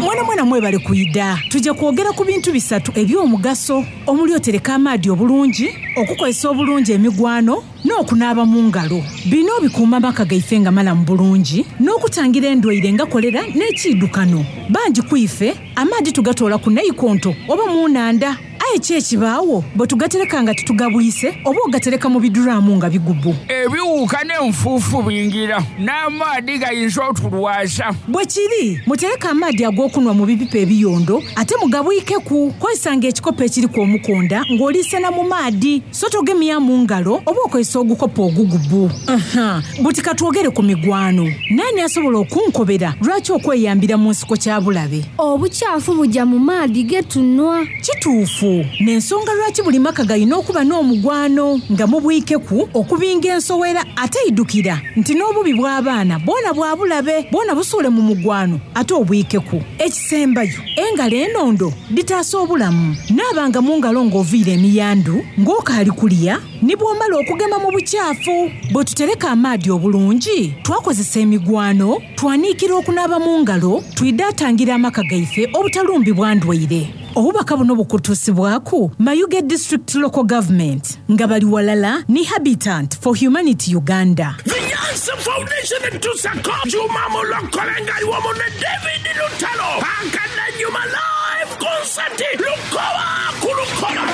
Mwana mwana mwebale kwida. Tujja kwogera ku bintu bisatu eby'omugaso omuli otereka amaadi obulungi, okukozesa obulungi emigwano n'okunaaba mu ngalo. Bino bikuuma amaka gaife nga malamu bulungi n'okutangira endwaire nga kolera n'ekiidukano. Bangi ku ife amaadi tugatoola ku naikonto oba mu nnhandha. Aye ki ekibaawo bwe tugatereka nga titugabwise oba ogatereka mu biduraamu nga bigubu? Ebiwuka n'enfuufu bingira n'amaadhi gayinza otulwaza. Bwe kiri, mutereke amaadhi ag'okunhwa mu bipipa ebiyondo ate mugabwikeku. Kozesanga ekikopo ekiriku omukonda ng'oliisena mu maadhi, so togemya mu ngalo oba okozesa ogukopo ogugubu. Aha, buti ka twogere ku migwano. Naani asobola okunkobera lwaki okweyambira mu nsiko kya bulabe? Obukyafu buja mu maadhi ge tunhwa. Kituufu. Eyo n'ensonga lwaki buli maka galina okuba n'omugwano nga mubwikeku okubinga ensowera ate idukira nti n'obubi bw'abaana bwona bwa bulabe bwona busuule mu mugwano ate obwikeku. Ekisembayo, engalo enondo dhitaasa obulamu. Naabanga mu ngalo ng'oviire emiyandu, ng'okaali kulya, ni bw'omala okugema mu bukyafu. Bwe tutereka amaadhi obulungi, twakozesa emigwano, twaniikira okunaaba mu ngalo, twidha atangira amaka gaife obutalumbibwa ndwaire. Obubaka buno bukutuusibwaku Mayuge District Local Government nga bali walala ni Habitant for Humanity Uganda. The Nyansi Foundation etuusako Juma Mulokole nga ali wamu ne David Lutalo Akadanyuma Live Concert Lukoba ku Lukoba.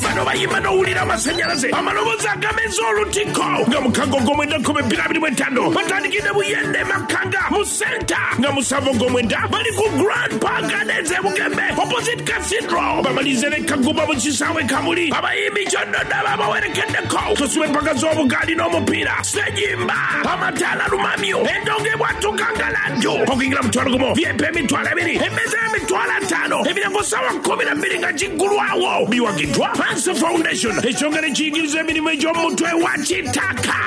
Bano bayimba n'owulira amasanyalaze, amaloboozi agameza olutiko nga mukago ogwomwenda 2025 batandikidde Buyende Makanga mu Center nga musanvu ogwomwenda bali ku Grand Park Gardens e Bugembe opposite Cathedral bamalirize ne Kagumba mu kisaawe Kamuli. Abayimbi Kyoddodo ababawerekeddeko Tosuba empaka z'obugaali n'omupiira, Ssejimba, amataala lumamyo, endongo ebwatuka ngaladdu, okuyingira mutwalo gumu, VIP emitwalo ebiri, emmeeza y'emitwalo ataano, emiryango ssaawa 12 nga giggulwawo. Biwagiddwa Hanse Foundation, ekitongole ekiyigiriza emirimu egy'omu mutwe wa Kitaka.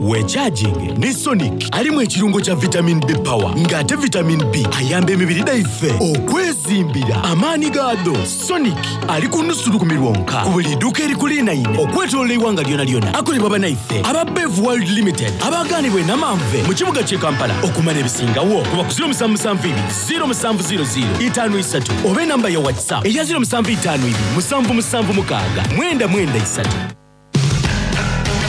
Wekyajinge ni Sonic alimu ekirungo kya Vitamin B Power nga ate Vitamin B ayamba emibiri dhaife okwezimbira amaani gaadho. Sonic ali ku nusu lukumi lwonka ku buli iduuka erikuliinaine okwetoloola eighanga lyonalyona. Akolebwa banaife aba Bev World Limited abagaanibwa e Namanve mu kibuga ky'e Kampala. Okumanya ebisingawo kuba ku 0772 0700 53 oba enamba ya WhatsApp eya 0752 776 993.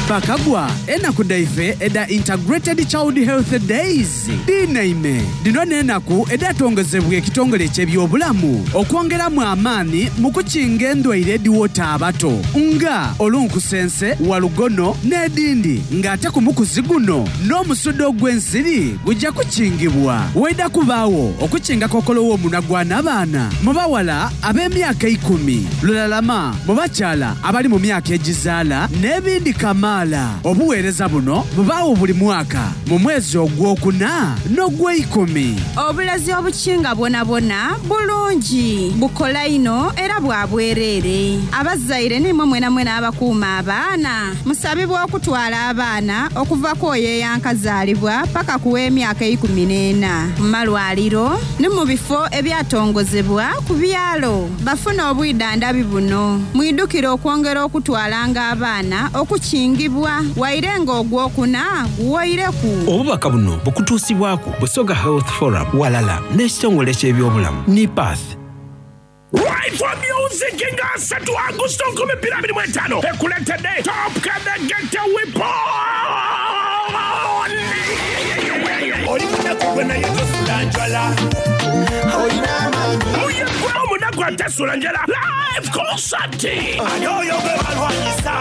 Bakagwa, enaku dhaife edha Integrated Child Health Days dhinaime. Dhino n'enaku edhatongozebwa ekitongole eky'ebyobulamu okwongeramu amaani mu kukinga endwaire edhiwota abato nga olunkusense, walugono n'edhindi nga ate ku mukuzi guno n'omusuda ogw'ensiri guja kukingibwa. Waidha kubaagho okukinga kokolo w'omunwa gwa nabaana mu bawala ab'emyaka eikumi, lulalama mu bakyala abali mu myaka egizaala n'ebindi kamaala. Obuweereza buno bubaagho buli mwaka mu mwezi ogwokuna n'ogweikumi. Obulazi obukinga bwonabwona bulungi, bukola inho era bwa bwereere. Abazaire n'imwe mwenamwena abakuuma abaana, musabibwa okutwala abaana okuva ku oyo eyankazaalibwa paka ku w'emyaka eikumineena mu malwaliro ni mu bifo ebyatongozebwa ku byalo bafune obwidhandhabi buno. Mwidhukire okwongera okutwalanga abaana okukingibwa waire nga ogwokuna guwoireku. Obubaka buno bukutuusibwaku Busoga Health Forum walala n'ekitongole ky'ebyobulamu NIPATH. Rifle Music nga asatu Agusto 2025 ekuleetedde Top Kadagete Weapon. Oli munaku gwe naye tosula njala. Olina amaanyi. Oyo gwe omunaku atasula njala. Live concert. Ani oyo gwe balwanyisa?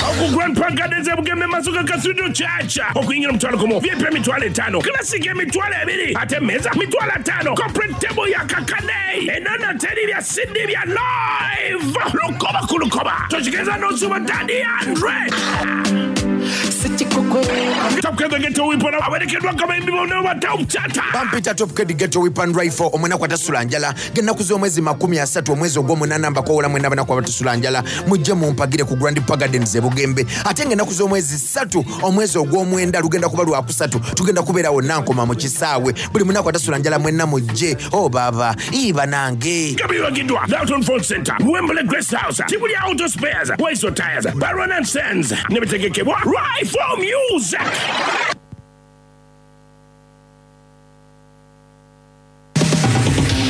Oku Grand Park Gardens e Bugembe Masuka Cathedral Church. Okuyingira omutwalo gumu, VIP emitwalo etaano, Classic emitwalo ebiri, ate emmeeza mitwalo ataano, Corporate table ya kakade. Enono teri bya CD bya live. Lukoba ku lukoba. Tokigeza n'osuba Daddy Andre. Top Kid Ghetto Weapon awerekeddwa akabayimbi bonna ba Top Chata. Bampita Top Kid Ghetto Weapon Rifle omunaku atasula njala ng'ennaku z'omwezi 30 omwezi ogw'omunaana mbakoowola mwenna abanaku abatasula njala mujje mumpagire ku Grand Park Gardens e Bugembe ate ng'ennaku z'omwezi ssatu omwezi ogw'omwenda lugenda kuba lwakusatu tugenda kubeerawo Nankoma mu kisaawe buli munaku atasula njala mwenna mujje o oh, baaba ii banange. Nga biwagiddwa Dalton Phone Center, Wembley Grace House, Tibuli Auto Spares, Waiso Tires, Baron and Sons ne bitegekebwa Rifle Music.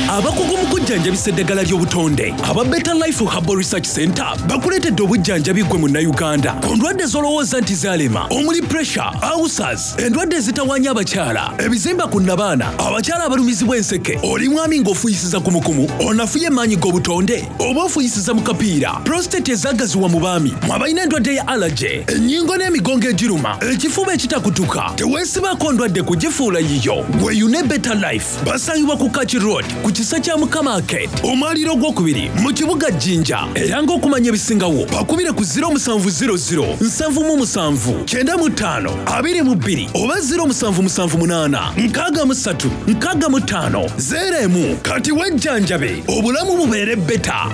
Abakugu mu kujjanjabisa eddagala ly'obutonde aba Better Life Herbal Research Center bakuleetedde obujjanjabi ggwe Munnayuganda ku ndwadde z'olowooza nti zaalema omuli pressure, ulcers, endwadde ezitawaanya abakyala, ebizimba ku nnabaana, abakyala abalumizibwa enseke, oli mwami ng'ofuuyisiza kumukumu, onafuye emaanyi g'obutonde oba ofuuyisiza mu kapiira, prostate ezaagaziwa mu baami, mwe abalina endwadde ya allergy, ennyingo n'emigongo egiruma, ekifuba ekitakutuka, teweesibaako ndwadde kugifuula yiyo. Weeyune Better Life. Basangibwa ku Kaki Road ku Kisa kya Mukama Arcade, omwaliiro ogwokubiri mu kibuga Jinja. Era ng'okumanya ebisingawo bakubire ku 0700 77 95 22 oba 0778 63 65 01. Kati wejjanjabe obulamu bubeere beta.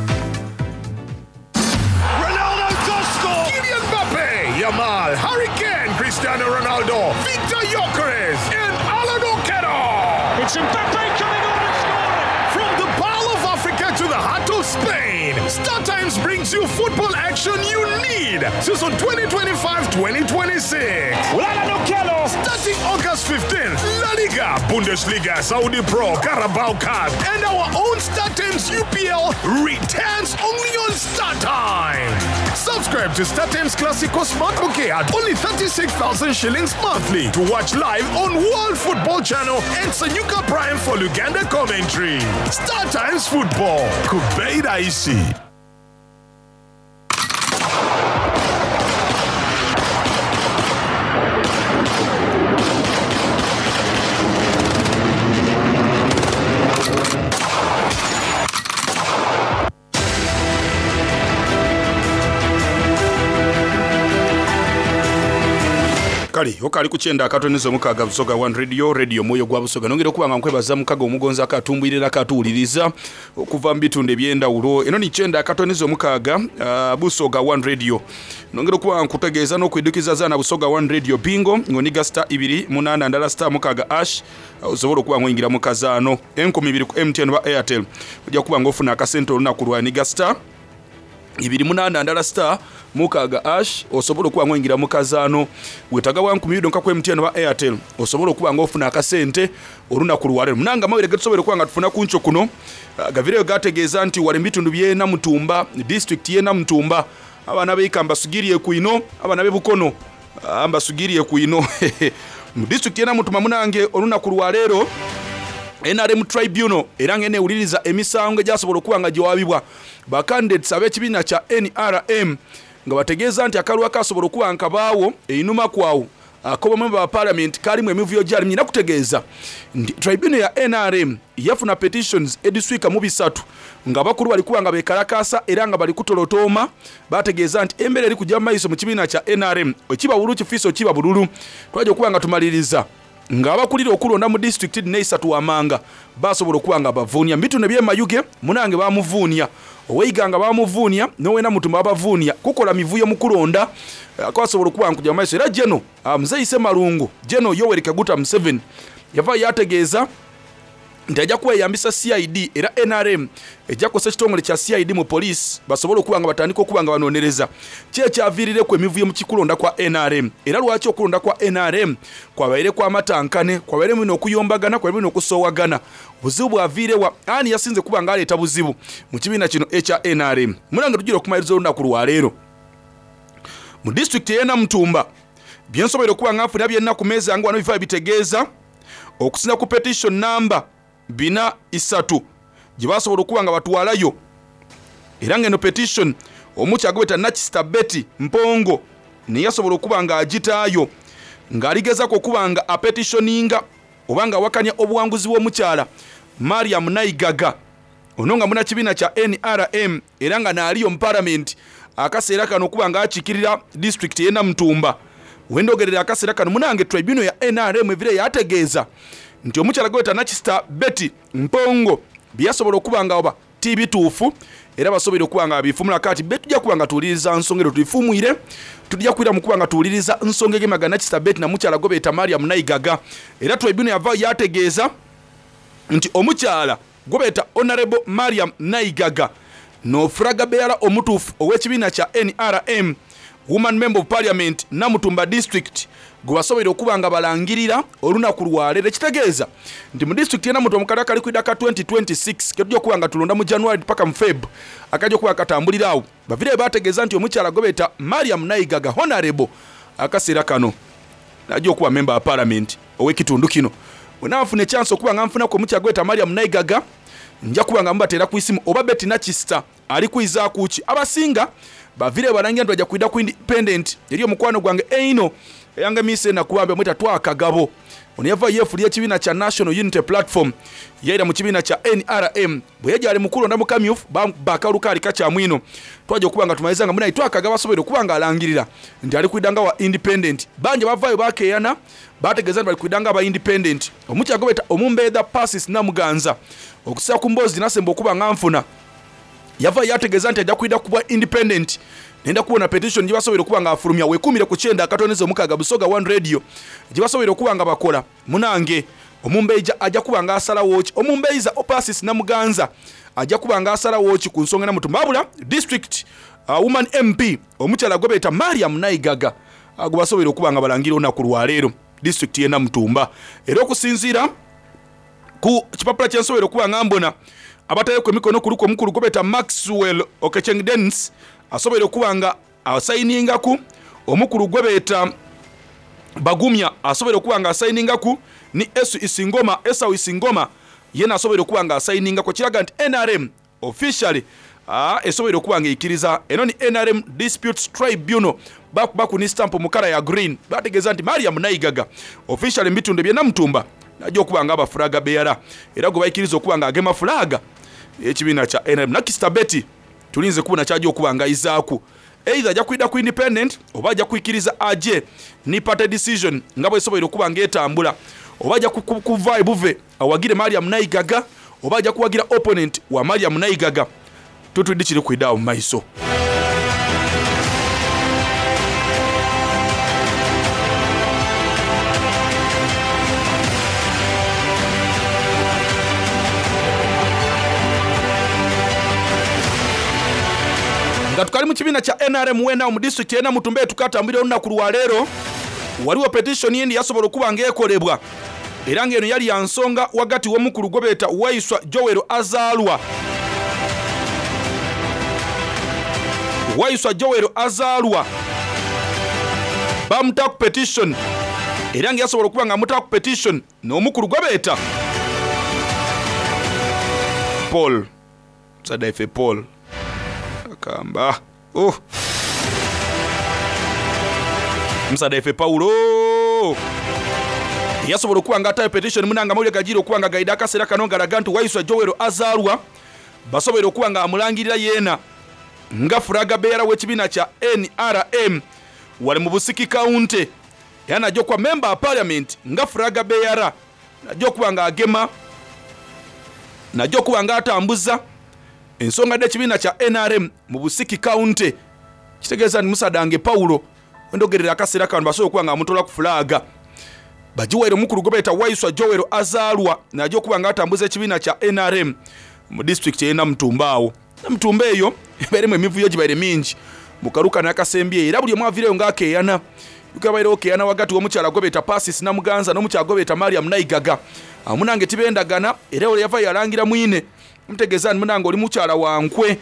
Ronaldo does score! Kylian Mbappe, Yamal, Harry Kane, Cristiano Ronaldo, Victor Gyökeres, and Alan Okello. It's Mbappe coming on and scoring! From the Pearl of Africa to the heart of Spain, Star Times brings you football action you need. Season 2025-2026. Alan Okello! Starting August 15th, La Liga, Bundesliga, Saudi Pro, Carabao Cup, and our own Star Times UPL returns only on Star Times. Subscribe to Star Times Classico Smart Bouquet at only 36,000 shillings monthly to watch live on World Football Channel and Sanyuka Prime for Luganda commentary. Star Times Football. Kubeira Isi. Kale okali ku kyenda akatonizo mukaaga Busoga One Radio, radio omwoyo gwa Busoga. Nongera okuba nga nkwebaza mukaga omugonzi akatumbwirira akatuwuliriza okuva mu bitundu ebyendawulo. Eno ni kyenda akatonizo mukaaga Busoga One Radio. Nongera okuba nga nkutegeeza n'okwidukiza zaana Busoga One Radio bingo ng'oniga star ibiri munaana ndala star mukaaga ash, osobola okuba nga oyingira mu kazaano 2000 ku MTN oba Airtel, ojja kuba nga ofuna akasente olunaku lwa niga star ibiri munaana ndala star mukaaga ash, osobola okuba nga oyingira mu kazaano. Wetaaga bwa nkumi ibiri nka ku MTN oba Airtel, osobola okuba nga ofuna akasente olunaku lwaleero. Munange amawulire getusobola okuba nga tufuna ku nkyo kuno, gavireyo gategeeza nti wali mu bitundu by'e Namutumba, disitulikiti y'e Namutumba, abaana b'eika mbasugiriye ku ino, abaana b'e Bukono, mbasugiriye ku ino. Mu disitulikiti y'e Namutumba munange olunaku lwaleero NRM Tribunal era nga enewuliriza emisango egyasobola okuba nga giwabibwa ba candidates ab'ekibiina kya NRM, nga bategeeza nti akalulu akasobola okuba nga kabaawo einuma kwawo ak'obamemba ba parliament kalimu emivuyo gyali. Nyina kutegeeza nti tribunal ya NRM yafuna petitions ediswika mu bisatu nga abakulu bali kuba nga bekalakasa era nga bali kutolotooma. Bategeeza nti embeera eri kujja mu maiso mu kibiina kya NRM, ekiba bululu kifiisa okiba bululu. Twajja okuba nga tumaliriza ng'abakulira okulonda mu disitulikiti dino eisatu wamanga basobola okuba nga bavuunia. Mu bitundu eby'e Mayuge munange bamuvuunia, ow'Eiga nga bamuvuunia, n'ow'e Namutumba babavuunia kukola mivuyo mu kulonda kwasobola okuba nga kujja mu maiso. Era Geno Muzeeyi Ssemalungu, Geno Yoweri Kaguta Museveni yava yategeeza nti ajja kweyambisa CID, era NRM ejja kukozesa ekitongole kya CID mu poliisi basobole okuba nga batandika okuba nga banoonyereza ki ekyaviirireku emivuyo mu kikulonda kwa NRM, era lwaki okulonda kwa NRM kwabaire kwa matankane, kwabaire bino okuyombagana, kwabaire bino okusoowagana. Obuzibu bwaviirewa? Ani yasinze kuba nga aleeta buzibu mu kibiina kino ekya NRM? Munange tugira okumaliriza olunaku lwaleero mu disitulikiti ey'e Namutumba. Byensoboire okuba nga nfuna byenna ku meeza yange wano bifa bitegeeza okusinza ku petition namba bina isatu gye basobola okuba nga batwalayo, era ng'eno petition omukyagobeta Nakisita Betty Mpongo naye yasobola okuba nga agitaayo ng'aligezaako okuba nga apetitioninga oba nga awakanya obuwanguzi bw'omukyala Mariam Naigaga, ono nga munnakibiina kya NRM era nga naaliyo mu palamenti akaseera kano okuba nga akiikirira disitulikiti ey'e Namutumba. Wendogerera akaseera kano munange tribunal ya NRM evire yategeeza nti omukyala gweta Nakisita Betty Mpongo byeyasobola okuba nga oba ti bituufu, era basobola okuba nga babifumula. Kati be tujja kuba nga tuwuliriza nsonga ero tubifumwire, tujja kwira mu kuba nga tuwuliriza nsonga egemaga Nakisita Betty na mukyala gwe beeta Mariam Naigaga. Era tribunal yava yategeeza nti omukyala gwe beeta Honorable Mariam Naigaga n'ofulaga beera omutuufu ow'ekibiina kya NRM Woman Member of Parliament Namutumba District gwe basobola okuba nga balangirira olunaku lwaleero. Ekitegeeza nti mu disitulikiti y'e Namutumba mu kalala kali kwida ka 2026 ketujja okuba nga tulonda mu January paka mu Feb akajja okuba katambulira awo, bavire bategeeza nti omukyala gwe beeta Mariam Naigaga Honorable akaseera kano najja okuba member wa parliament ow'ekitundu kino. Bwe naafuna ekyansi okuba nga nfunaku omukyala gwe beeta Mariam Naigaga, nja kuba nga mubateera ku isimu oba Betty Nakisita ali kwizaaku ki. Abasinga bavire balangira nti bajja kwida ku independent eri omukwano gwange eino Eyangemiisa enaku bambi bamweta Twaha Kagabo. Ono yava yeefulia ekibiina kya National Unity Platform yaira mu kibiina kya nrm. Bweyaja ali mu kulonda mu kamyufu baamukuba akalulu kaali kakyamu inho. Twaja okuba nga tumaliza nga munaye Twaha Kagabo asoboire okuba nga alangirira nti ali kwidha nga wa Independent. Bangi abavaayo baakeeyana baategeeza nti bali kwidha nga aba Independent. Omukyala gwebeeta Omumbeedha Persis Namuganza okusinziira ku mboozi gyenasemba okuba nga nfuna, Yavaayo yaategeeza nti aja kwidha kubwa Independent. Nenda kubona petition gyebasoboire okuba nga bafulumya. Wekumire ku kyenda akatooneza omukaaga Busoga One Radio gyebasoboire okuba nga bakola. Munange, Omumbeija aja kuba nga asalawo ki? Omumbeiza Persis Namuganza aja kuba nga asalawo ki ku nsonga Namutumba? Wabula District Woman MP omukyala gwebeeta Mariam Naigaga gwebasoboire okuba nga balangira olunaku lwaleero District ye Namutumba. Era okusinziira. Ku kipapula kye nsoboire okuba nga mbona, abataireku emikono kuliku omukulu gwebeeta Maxwell Okecheng Denis asoboire okuba nga asayiningaku, omukulu gwebeeta Bagumya asoboire okuba nga asayiningaku ni Esu Isingoma, Esau Isingoma yena asoboire okuba nga asayiningaku ekiraga nti nrm Officially esoboire okuba nga eikiriza. Eno ni nrm Disputes Tribunal bakubaku ni stamp mu kala ya green bategeeza nti Mariam Naigaga officially mu bitundu ebye Namutumba naja okuba nga aba flag bearer era gwe baikiriza okuba nga agema flag y'ekibiina kya nrm. Nakisita Betty tulinze kubona kyaja okuba nga aizaaku either aja kwidha ku independent oba aja kwikiriza aje ni party decision nga bwesoboire okuba nga etambula oba aja kuvaayo buve Awagire Mariam Naigaga oba aja kuwagira opponent wa Mariam Naigaga totwidhi kiri kwidha agho mu maiso. Nga tukali mu kibiina kya nrm weena agho mu disitulikiti y'e Namutumba yetukatambulira olunaku lwa leero, ghaligho petition yindi eyasobola okuba nga ekolebwa. Era nga eno yali ya nsonga ghagati w'omukulu gwebeeta Waiswa Joel Azaalwa. Waiswa Joel Azaalwa baamutaaku petition era nga yasobola okuba nga amutaaku petition n'omukulu gwebeeta Paul Musaadha ife Paul Akamba. Oh! Omusaadha ife Paulo yasobola okuba nga ataayo petition munange amawulire gajiire okuba nga gaidha akaseera kano galaga nti Waiswa Joel azaalwa basoboire okuba nga amulangirira yeena nga flag bearer w'ekibiina kya nrm wale mu Busiki County era naja okuba member wa parliament nga flag bearer naja okuba nga agema naja okuba nga atambuza Ensonga dh'ekibiina kya nrm mu Busiki County kitegeeza nti Musadange Paulo wendhogerera akaseera kano basobola okuba nga bamutoolaku fulaaga bagiwaire omukulu gwebeeta Waiswa Joel Azaalwa naja okuba nga atambuza ekibiina kya nrm mu disitulikiti eye Namutumba agho. Namutumba eyo ebairemu emivuyo gibaire mingi mu kalulu kano akasembyeyo era buli omu aviireyo nga akeyana. Jukira bairegho keyana ghagati w'omukyala gwebeeta Persis Namuganza n'omukyala gwebeeta Mariam Naigaga. Agho munange tibendagana era ole yavayo yalangira mwine. Ntegeeza nti munange oli mukyala wa nkwe.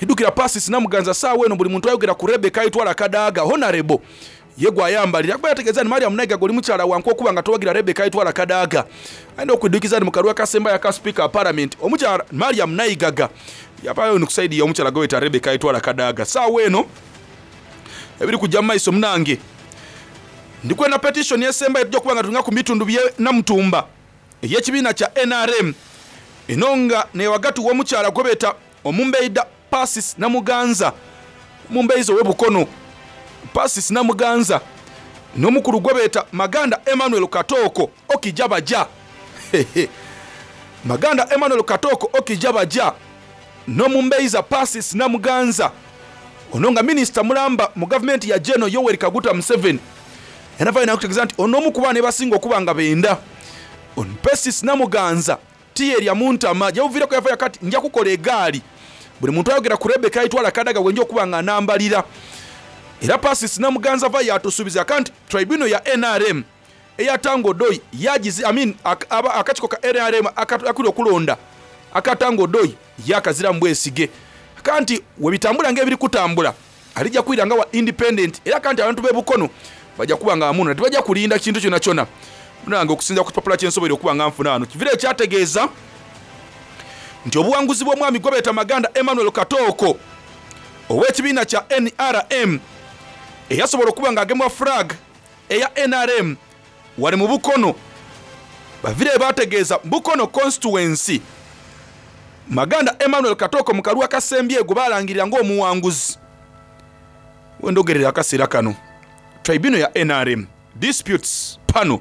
Idhukira Persis Namuganza saawa eno buli muntu ayogera ku Rebecca Aitwara Kadaga, Honarebo, ye gwayambalira. Kuba yategeeza nti Mariam Naigaga oli mukyala wa nkwe okuba nga towagira Rebecca Aitwara Kadaga. Aye okwidhukiza nti mu kalulu akasembayo aka Sipiika wa Palamenti, omukyala Mariam Naigaga yavaayo ni ku saidi y'omukyala gwebeeta Rebecca Aitwara Kadaga. Saawa eno ebiri kuja mu maiso munange ndi kwenda petition esembayo tuja kuba nga tulinga ku bitundu bye Namutumba. ey'ekibiina kya nrm eno nga neghagati w'omukyala gwebeeta Omumbeidha Persis Namuganza, Omumbeiza owe Bukono Persis Namuganza n'omukulu gwebeeta Maganda Emmanuel Katooko Okijabaja Maganda Emmanuel Katooko Okijabaja n'Omumbeiza Persis Namuganza ono nga minisita mulamba mu gavumenti ya Gen Yoweri Kaguta Museveni. Yanavayo nakutegeeza nti ono omu ku baana ebasinga okuba nga benda. Ono Persis Namuganza tiyerya mu ntama. Gyebuviireku yavayo akati nja kukola egaali buli muntu ayogera ku Rebecca Aitwala Kadaga bwenja okuba nga anambalira. Era Persis Namuganza avayo yatusuubiza aka nti Tribunal ya nrm eya Tanga Odoi yagizi I mean akakiiko ka nrm akali okulonda aka Tanga Odoi yakaziramu bwesige. Aka nti webitambula nga ebiri kutambula Alija kwira nga wa independent era kanti abantu be Bukono baja kuba nga bamunona tibaja kulinda kintu kyonakyona. Munange okusinzira ku kipapula kyensoboire okuba nga nfuna ghano kivire kyategeeza nti obuwanguzi bw'omwami gwebeeta Maganda Emmanuel Katooko ow'ekibiina kya nrm eyasobola okuba nga agemwa flag. eya nrm wale mu Bukono bavireyo baategeeza Bukono Constituency Maganda Emmanuel Katooko mu kalulu akasembyeyo gwe baalangirira ng'omuwanguzi. Wendogerera akaseera kano Tribunal ya nrm Disputes Panel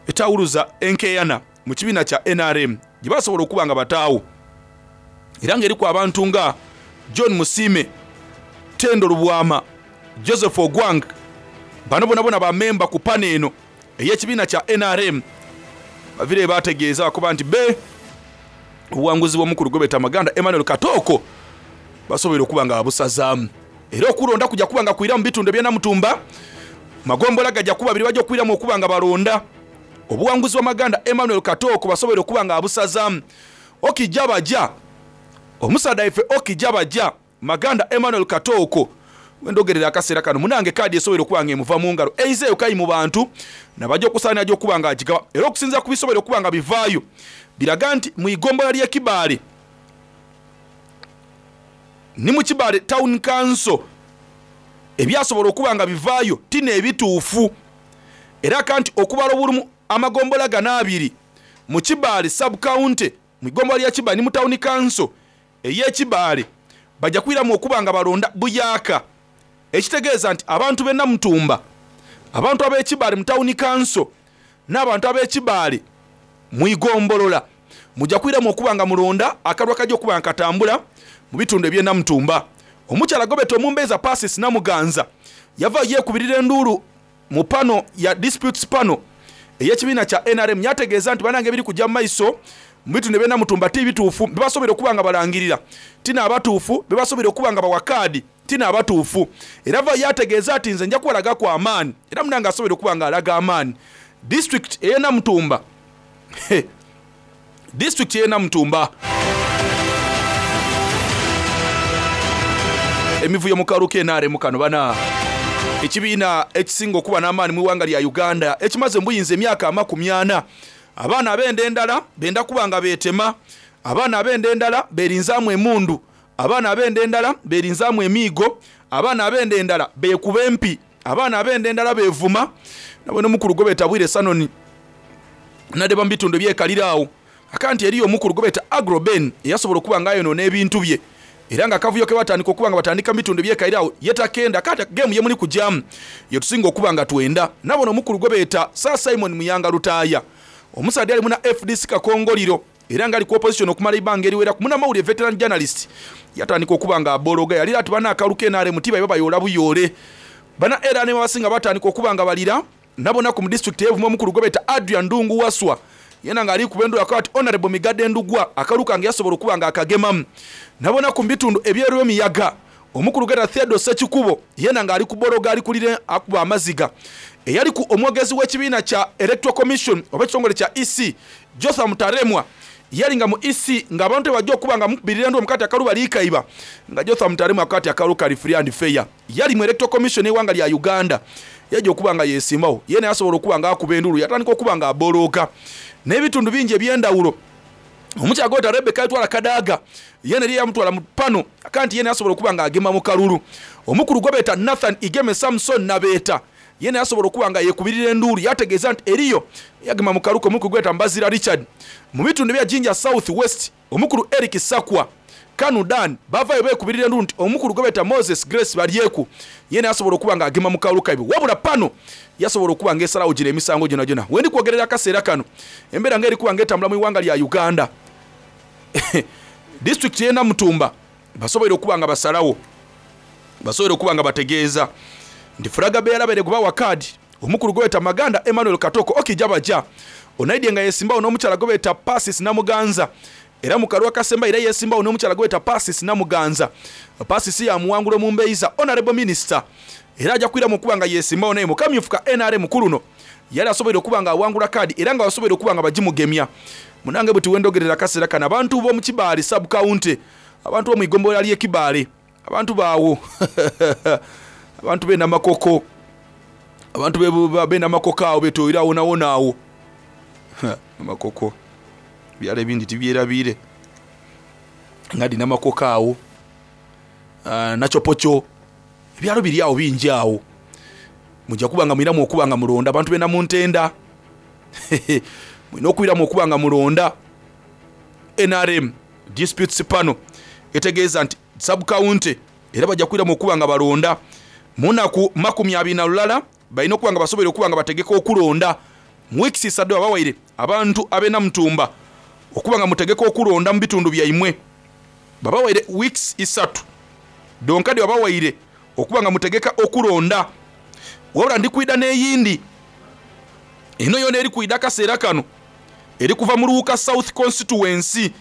etawuluza enkeeyana mu kibiina kya nrm gye basobola okuba nga bataagho era nga eriku abantu nga John Musiime, Tendo Lubwama, Joseph Ogwang bano bonabona ba memba ku pano eno ey'ekibiina kya nrm bavireyo baategeeza bakoba nti be obuwanguzi bw'omukulu gwebeta Maganda Emmanuel Katooko basoboire okuba nga babusazaamu era okulonda kuja kuba nga kwira mu bitundu ebye Namutumba magombola gaja kuba abiri baja okwiramu okuba nga balonda obuwanguzi bwa Maganda Emmanuel Katooko basoboire okuba nga babusazaamu Okija baja omusaadha waife Okija baja Maganda Emmanuel Katooko wendhogerera akaseera kano munange kaadi esoboire okuba nga emuva mungalo eizeeyo kai mu bantu nabaja okusaanira aja okuba nga agigaba era okusinziira ku bisoboire okuba nga bivaayo biraga nti mu igombolola ly'e Kibaale ni mu Kibaale Town Council ebyasobola okuba nga bivaayo ti n'ebituufu era kanti okubala obulumu amagombolola gano abiri mu Kibaale Sub County mu igombolola lya Kibaale ni mu Town Council ey'e Kibaale baja kwiramu okuba nga balonda buyaaka ekitegeeza nti abantu b'e Namutumba, abantu ab'e Kibaale mu Tawuni Kanso n'abantu ab'e Kibaale mu igombolola muja kwiramu okuba nga mulonda akalulu akaja okuba nga katambula mu bitundu eby'e Namutumba. Omukyala gwebeta Omumbeiza Persis Namuganza yavaayo yeekubirira enduulu Mu pano ya Disputes Panel ey'ekibiina kya nrm yategeeza nti banange ebiri kugya mu maiso mu bitundu eby'e Namutumba ti bituufu, bebasoboire okuba nga balangirira ti n'abatuufu, bebasoboire okuba nga bawa kaadi ti n'abatuufu. Era avaayo yategeeza ati nze nja kubalagaku amaani era munange asoboire okuba nga alaga amaani disitulikiti ey'e Namutumba. Disitulikiti y'e Namutumba. Emivuyo mu kalulu ka nrm kano bana ekibiina ekisinga okuba n'amaani mu ighanga lya Uganda ekimaze mu buyinza emyaka amakumiana. Abaana ab'enda endala benda kuba nga beetema, abaana ab'enda endala berinzaamu emundu, abaana ab'enda endala berinzaamu emiigo, abaana ab'enda endala beekuba empi, abaana ab'enda endala beevuma. Nabwene omukulu gwebeeta Bwire Sanoni Nadeba mu bitundu ebyekalira agho aka nti eriyo omukulu gwebeeta Agro Ben eyasobola okuba nga ayonoona ebintu bye era nga akavuyo kebatandika okuba nga batandika mu bitundu ebyekalira agho ye takenda aka nti geemu yemuli kugyamu yetusinga okuba nga twenda. Nabona omukulu gwebeeta Sir Simon Muyanga Lutaaya omusaadha eyali muna fdc Kakongoliro era nga ali ku opposition okumala eibanga eriweraku munamawulire veteran journalist yatandika okuba nga abologa yalira ati bana akalulu ka nrm tibaiba bayoola buyoole bana nrm abasinga batandika okuba nga balira Nabonaku mu disitulikiti eye Buvuma omukulu gwebeta Adrian Ndungu Waswa yena nga ali kuba endulu akoba ati Honourable Migadde Ndugwa akalulu kange yasobola okuba nga akagemamu. Nabonaku mu bitundu ebye Lwemiyaga omukulu gwebeta Theodore Ssekikubo yena nga ali kubologa ali kulira akuba amaziga. Eyaliku omwogezi w'ekibiina kya Electoral Commission oba ekitongole kya EC Jotham Taremwa yali nga mu EC nga abantu bwebaja okuba nga bamukubirira endulu mukati akalulu bali kaiba nga Jotham Taremwa akoba ati akalulu kali free and fair. Yali mu Electoral Commission y'eighanga lya Uganda yaja okuba nga yesimbagho yena yasobola okuba nga akuba enduulu yatandika okuba nga abolooga n'ebitundu bingi eby'endhawulo. Omukyala gwebeta Rebecca Alitwala Kadaga yena eriyo eyamutwala mu pano aka nti yena yasobola okuba nga agema mu kalulu. Omukulu gwebeta Nathan Igeme Samson Nabeeta yena yasobola okuba nga yekubirira enduulu yategeeza nti eriyo eyagema mu kalulu ke omukulu gwebeta Mbazira Richard. Mu bitundu ebya Jinja South West Omukulu Eric Sakwa, Kanu Dan baavaayo beekubirira enduulu nti omukulu gwebeeta Moses Grace Balyeku yena yasobola okuba nga agema mu kalulu kaibwe wabula pano yasobola okuba nga esalagho gino emisango gyonagyona. Wendi kwogerera akaseera kano embeera nga eri kuba nga etambula mu ighanga lya Uganda disitulikiti y'e Namutumba basoboire okuba nga basalagho basoboire okuba nga bategeeza nti Fulaga Bearer abaire gwebawa kaadi omukulu gwebeeta Maganda Emmanuel Katoko Okija Baja onaidye nga yesimbagho n'omukyala gwebeeta Persis Namuganza era mu kalulu akasembayo era yesimbagho n'omukyala gwebeeta Persis Namuganza Persis yamuwangula omumbeiza Honourable Minister era aja kwiramu okuba nga yesimbagho naye mu kamyufu ka nrm kuluno yali asoboire okuba nga awangula kaadi era nga basoboire okuba nga bagimugemya. Munange buti wendhogerera akaseera kano abantu b'omu Kibaale Sub County abantu b'omu igombolola ly'e Kibaale Abantu baagho, abantu b'e Namakoko, abantu b'e Namakoko agho betoire agho wonawona agho. Namakoko, ebyalo ebindi tibyerabiire nga dhi Namakoko agho, Nachopocho, ebyalo biri agho bingi agho. Muja kuba nga mwiramu okuba nga mulonda abantu b'e Namuntenda. Mulina okwiramu okuba nga mulonda. Nrm Disputes Panel etegeeza nti Sub-county era baja kwiramu okuba nga balonda mu naku 21. Balina okuba nga basoboire okuba nga bategeka okulonda mu weeks isadu. Babawaire abantu ab'e Namutumba okuba nga mutegeka okulonda mu bitundu byaimwe. Babawaire weeks isatu dhonka dhebabawaire okuba nga mutegeka okulonda. Wabula ndi kwidha n'eyindi eno yoona eri kwidha akaseera kano eri kuva mu Luuka South Constituency.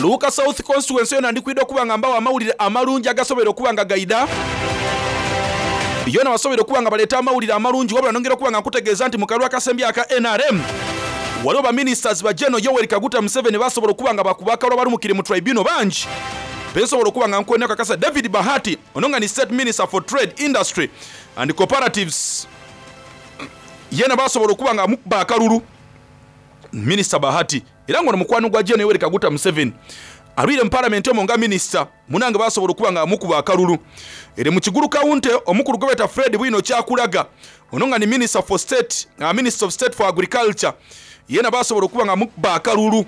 Luuka South Constituency yona ndi kwidha okuba nga mbawa amawulire amalungi agasoboire okuba nga gaidha. Yona basoboire okuba nga baleeta amawulire amalungi wabula nongera okuba nga nkutegeeza nti mu kalulu akasembye aka nrm waliwo ba ministers ba General Yoweri Kaguta Museveni basobola okuba nga bakuba akalulu abalumukire mu tribunal bangi bensobola okuba nga nkwenda okakasa David Bahati ono nga ni State Minister for Trade, Industry and Cooperatives yena basobola okuba nga amukuba akalulu. Minisita Bahati era nga ono mukwano gwa Gen Yoweri Kaguta Museveni alwire mu palamenti omwo nga minisita munange basobola okuba nga amukuba akalulu. Ere mu Kigulu County omukulu gwebeta Fred Bwino Kyakulaga ono nga ni Minister for State, Minister of State for Agriculture yena basobola okuba nga amukuba akalulu.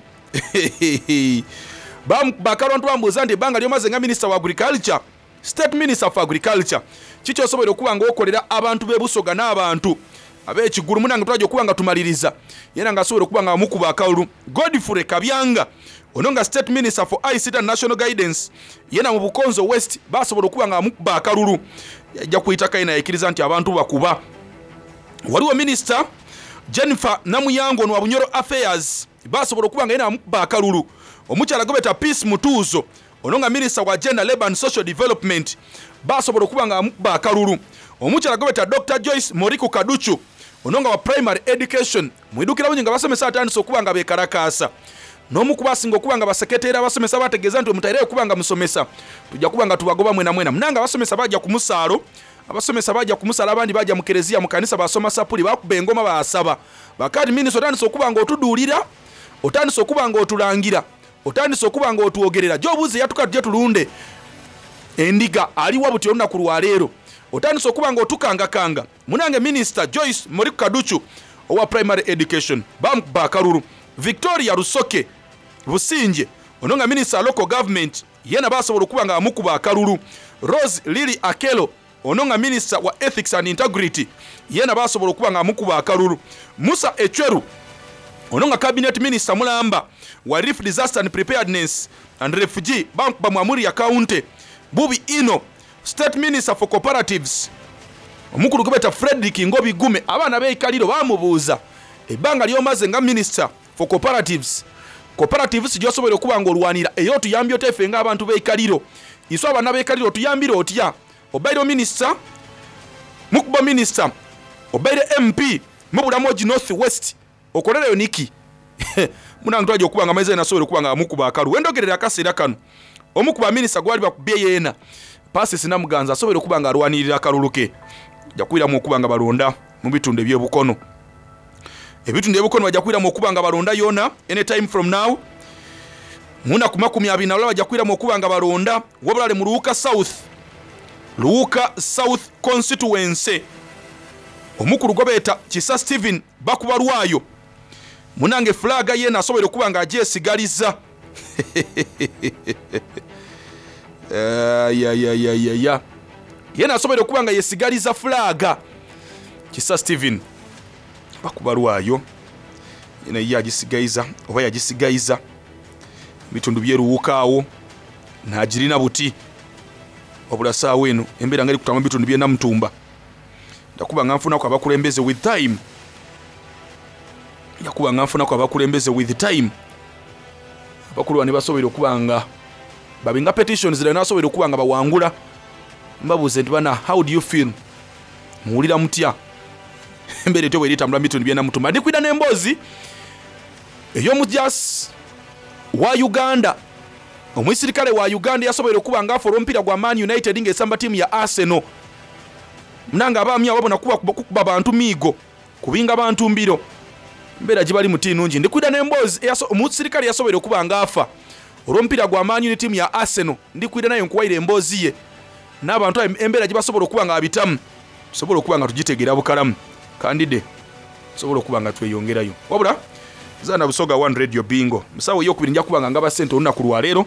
Bamukuba akalulu abantu bambuuza nti ebbanga lyomaze nga Minister wa Agriculture, State Minister for Agriculture, ki kyosoboire okuba nga okolera abantu b'e Busoga n'abantu ab'e Kigulu? Munange twaja okuba nga tumaliriza yena nga asoboire okuba nga bamukuba akalulu. Godfrey Kabyanga ono nga State Minister for ICT and National Guidance yena mu Bukonzo West basobola okuba nga bamukuba akalulu. Yaja ku itaka yena yaikiriza nti abantu bakuba. Waliwo Minister Jennifer Namuyangu ono wa Bunyoro Affairs basobola okuba nga yena bamukuba akalulu. Omukyala gwebeta Peace Mutuuzo ono nga Minisita wa Gender, Labour and Social Development baasobola okuba nga bamukuba akalulu. Omukyala gwebeta Dokita Joyce Moriku Kaducu ono nga wa Primary Education. Mwidhukira bulungi nga abasomesa batandise okuba nga bekalakaasa n'omu ku basinga okuba nga baseketeera abasomesa baategeeza nti bwemutaireyo okuba nga musomesa tuja kuba nga tubagoba mwenamwena. Munange abasomesa baaja ku musaalo, abasomesa baaja ku musaalo abandi baaja mu kereziya mu kanisa baasoma sapuli baakuba engoma baasaba. Bakaati Minisita otandise okuba nga otuduulira, otandise okuba nga otulangira. Otandise okuba nga otwogerera. Gy'obuuza eyatuka tuje tulunde endiga aliwa buti olunaku lwa leero? Otandise okuba nga otukangakanga. Munange Minisita Joyce Moriku Kaducu owa Primary Education baamukuba akalulu. Victoria Rusoke Busingye ono nga Minisita wa Local Government yeena baasobola okuba nga bamukuba akalulu. Rose Lily Akello ono nga Minisita wa Ethics and Integrity yeena baasobola okuba nga amukuba akalulu. Musa Ecweru ono nga Cabinet Minister mulamba wa Relief Disaster and Preparedness and Refugee baamukuba mu Amuria County. Bubi inho State Minister for Cooperatives omukulu gwebeta Fredrick Ngobi Gume abaana b'e Ikaliro baamubuuza ebbanga ly'omaze nga Minister for Cooperatives, Cooperatives gy'osoboire okuba nga olwanira era otuyambye otya ife nga abantu b'e Ikaliro? Iswe abaana b'e Ikaliro otuyambire otya? Obaire Minisita, mukuba Minisita, obaire MP mu Bulamogi North West, okolereyo niki? Munange twaja okuba nga amaizi aye nasoboire okuba nga bamukuba akalu. Wendhogerera akaseera kano, omu ku ba Minisita gwebali bakubye yeena, Persis Namuganza asoboire okuba nga alwanirira akalulu ke. Baja kwiramu okuba nga balonda mu bitundu eby'e Bukono. Ebitundu eby'e Bukono baja kwiramu okuba nga balonda yoona any time from now. Mu naku 21 baja kwiramu okuba nga balonda wabula ale mu Luuka South, Luuka South Constituency. Omukulu gwebeeta Kisa Stephen bakuba lwayo. Munange flag yeena asoboire okuba nga agyesigaliza. Ayayayaya. Yeena asoboire okuba nga yesigaliza flag. Kisa Stephen bakuba lwayo. Yeena ye agisigaiza oba yagisigaiza. Ebitundu bye Luuka agho naagirina buti. Wabula saawa eno embeera nga eri kutambula mu bitundu by'e Namutumba. Nja kuba nga nfunaku abakulembeze with time. Nja kuba nga nfunaku abakulembeze with time. Bakulu bano basoboire okuba nga babinga petitions dhino nasoboire okuba nga bawangula. Mbabuuze nti bana how do you feel? Muwulira mutya? Embeera etyo bweri etambula mu bitundu by'e Namutumba. Ndi kwidha n'emboozi ey'omujaasi wa Uganda, omuisirikale wa Uganda eyasoboire okuba nga afa olw'omupiira gwa Man United nga esamba tiimu ya Arsenal. Munange abaami abo babona kuba kukuba bantu miigo, kubinga bantu mbiro. Embeera gyebalimu ti nungi. Ndi kwidha n'emboozi omusirikale eyasoboire okuba nga afa olw'omupiira gwa Man U ni tiimu ya Arsenal. Ndi kwidha naye nkuwaire emboozi ye n'abantu abo embeera gyebasobola okuba nga babitamu tusobole okuba nga tugitegeera bukalamu. Kandide tusobole okuba nga tweyongerayo. Wabula Zaana Busoga One Radio Bingo. Mu ssaawa ey'okubiri nja kuba nga ngaba ssente olunaku lwa leero.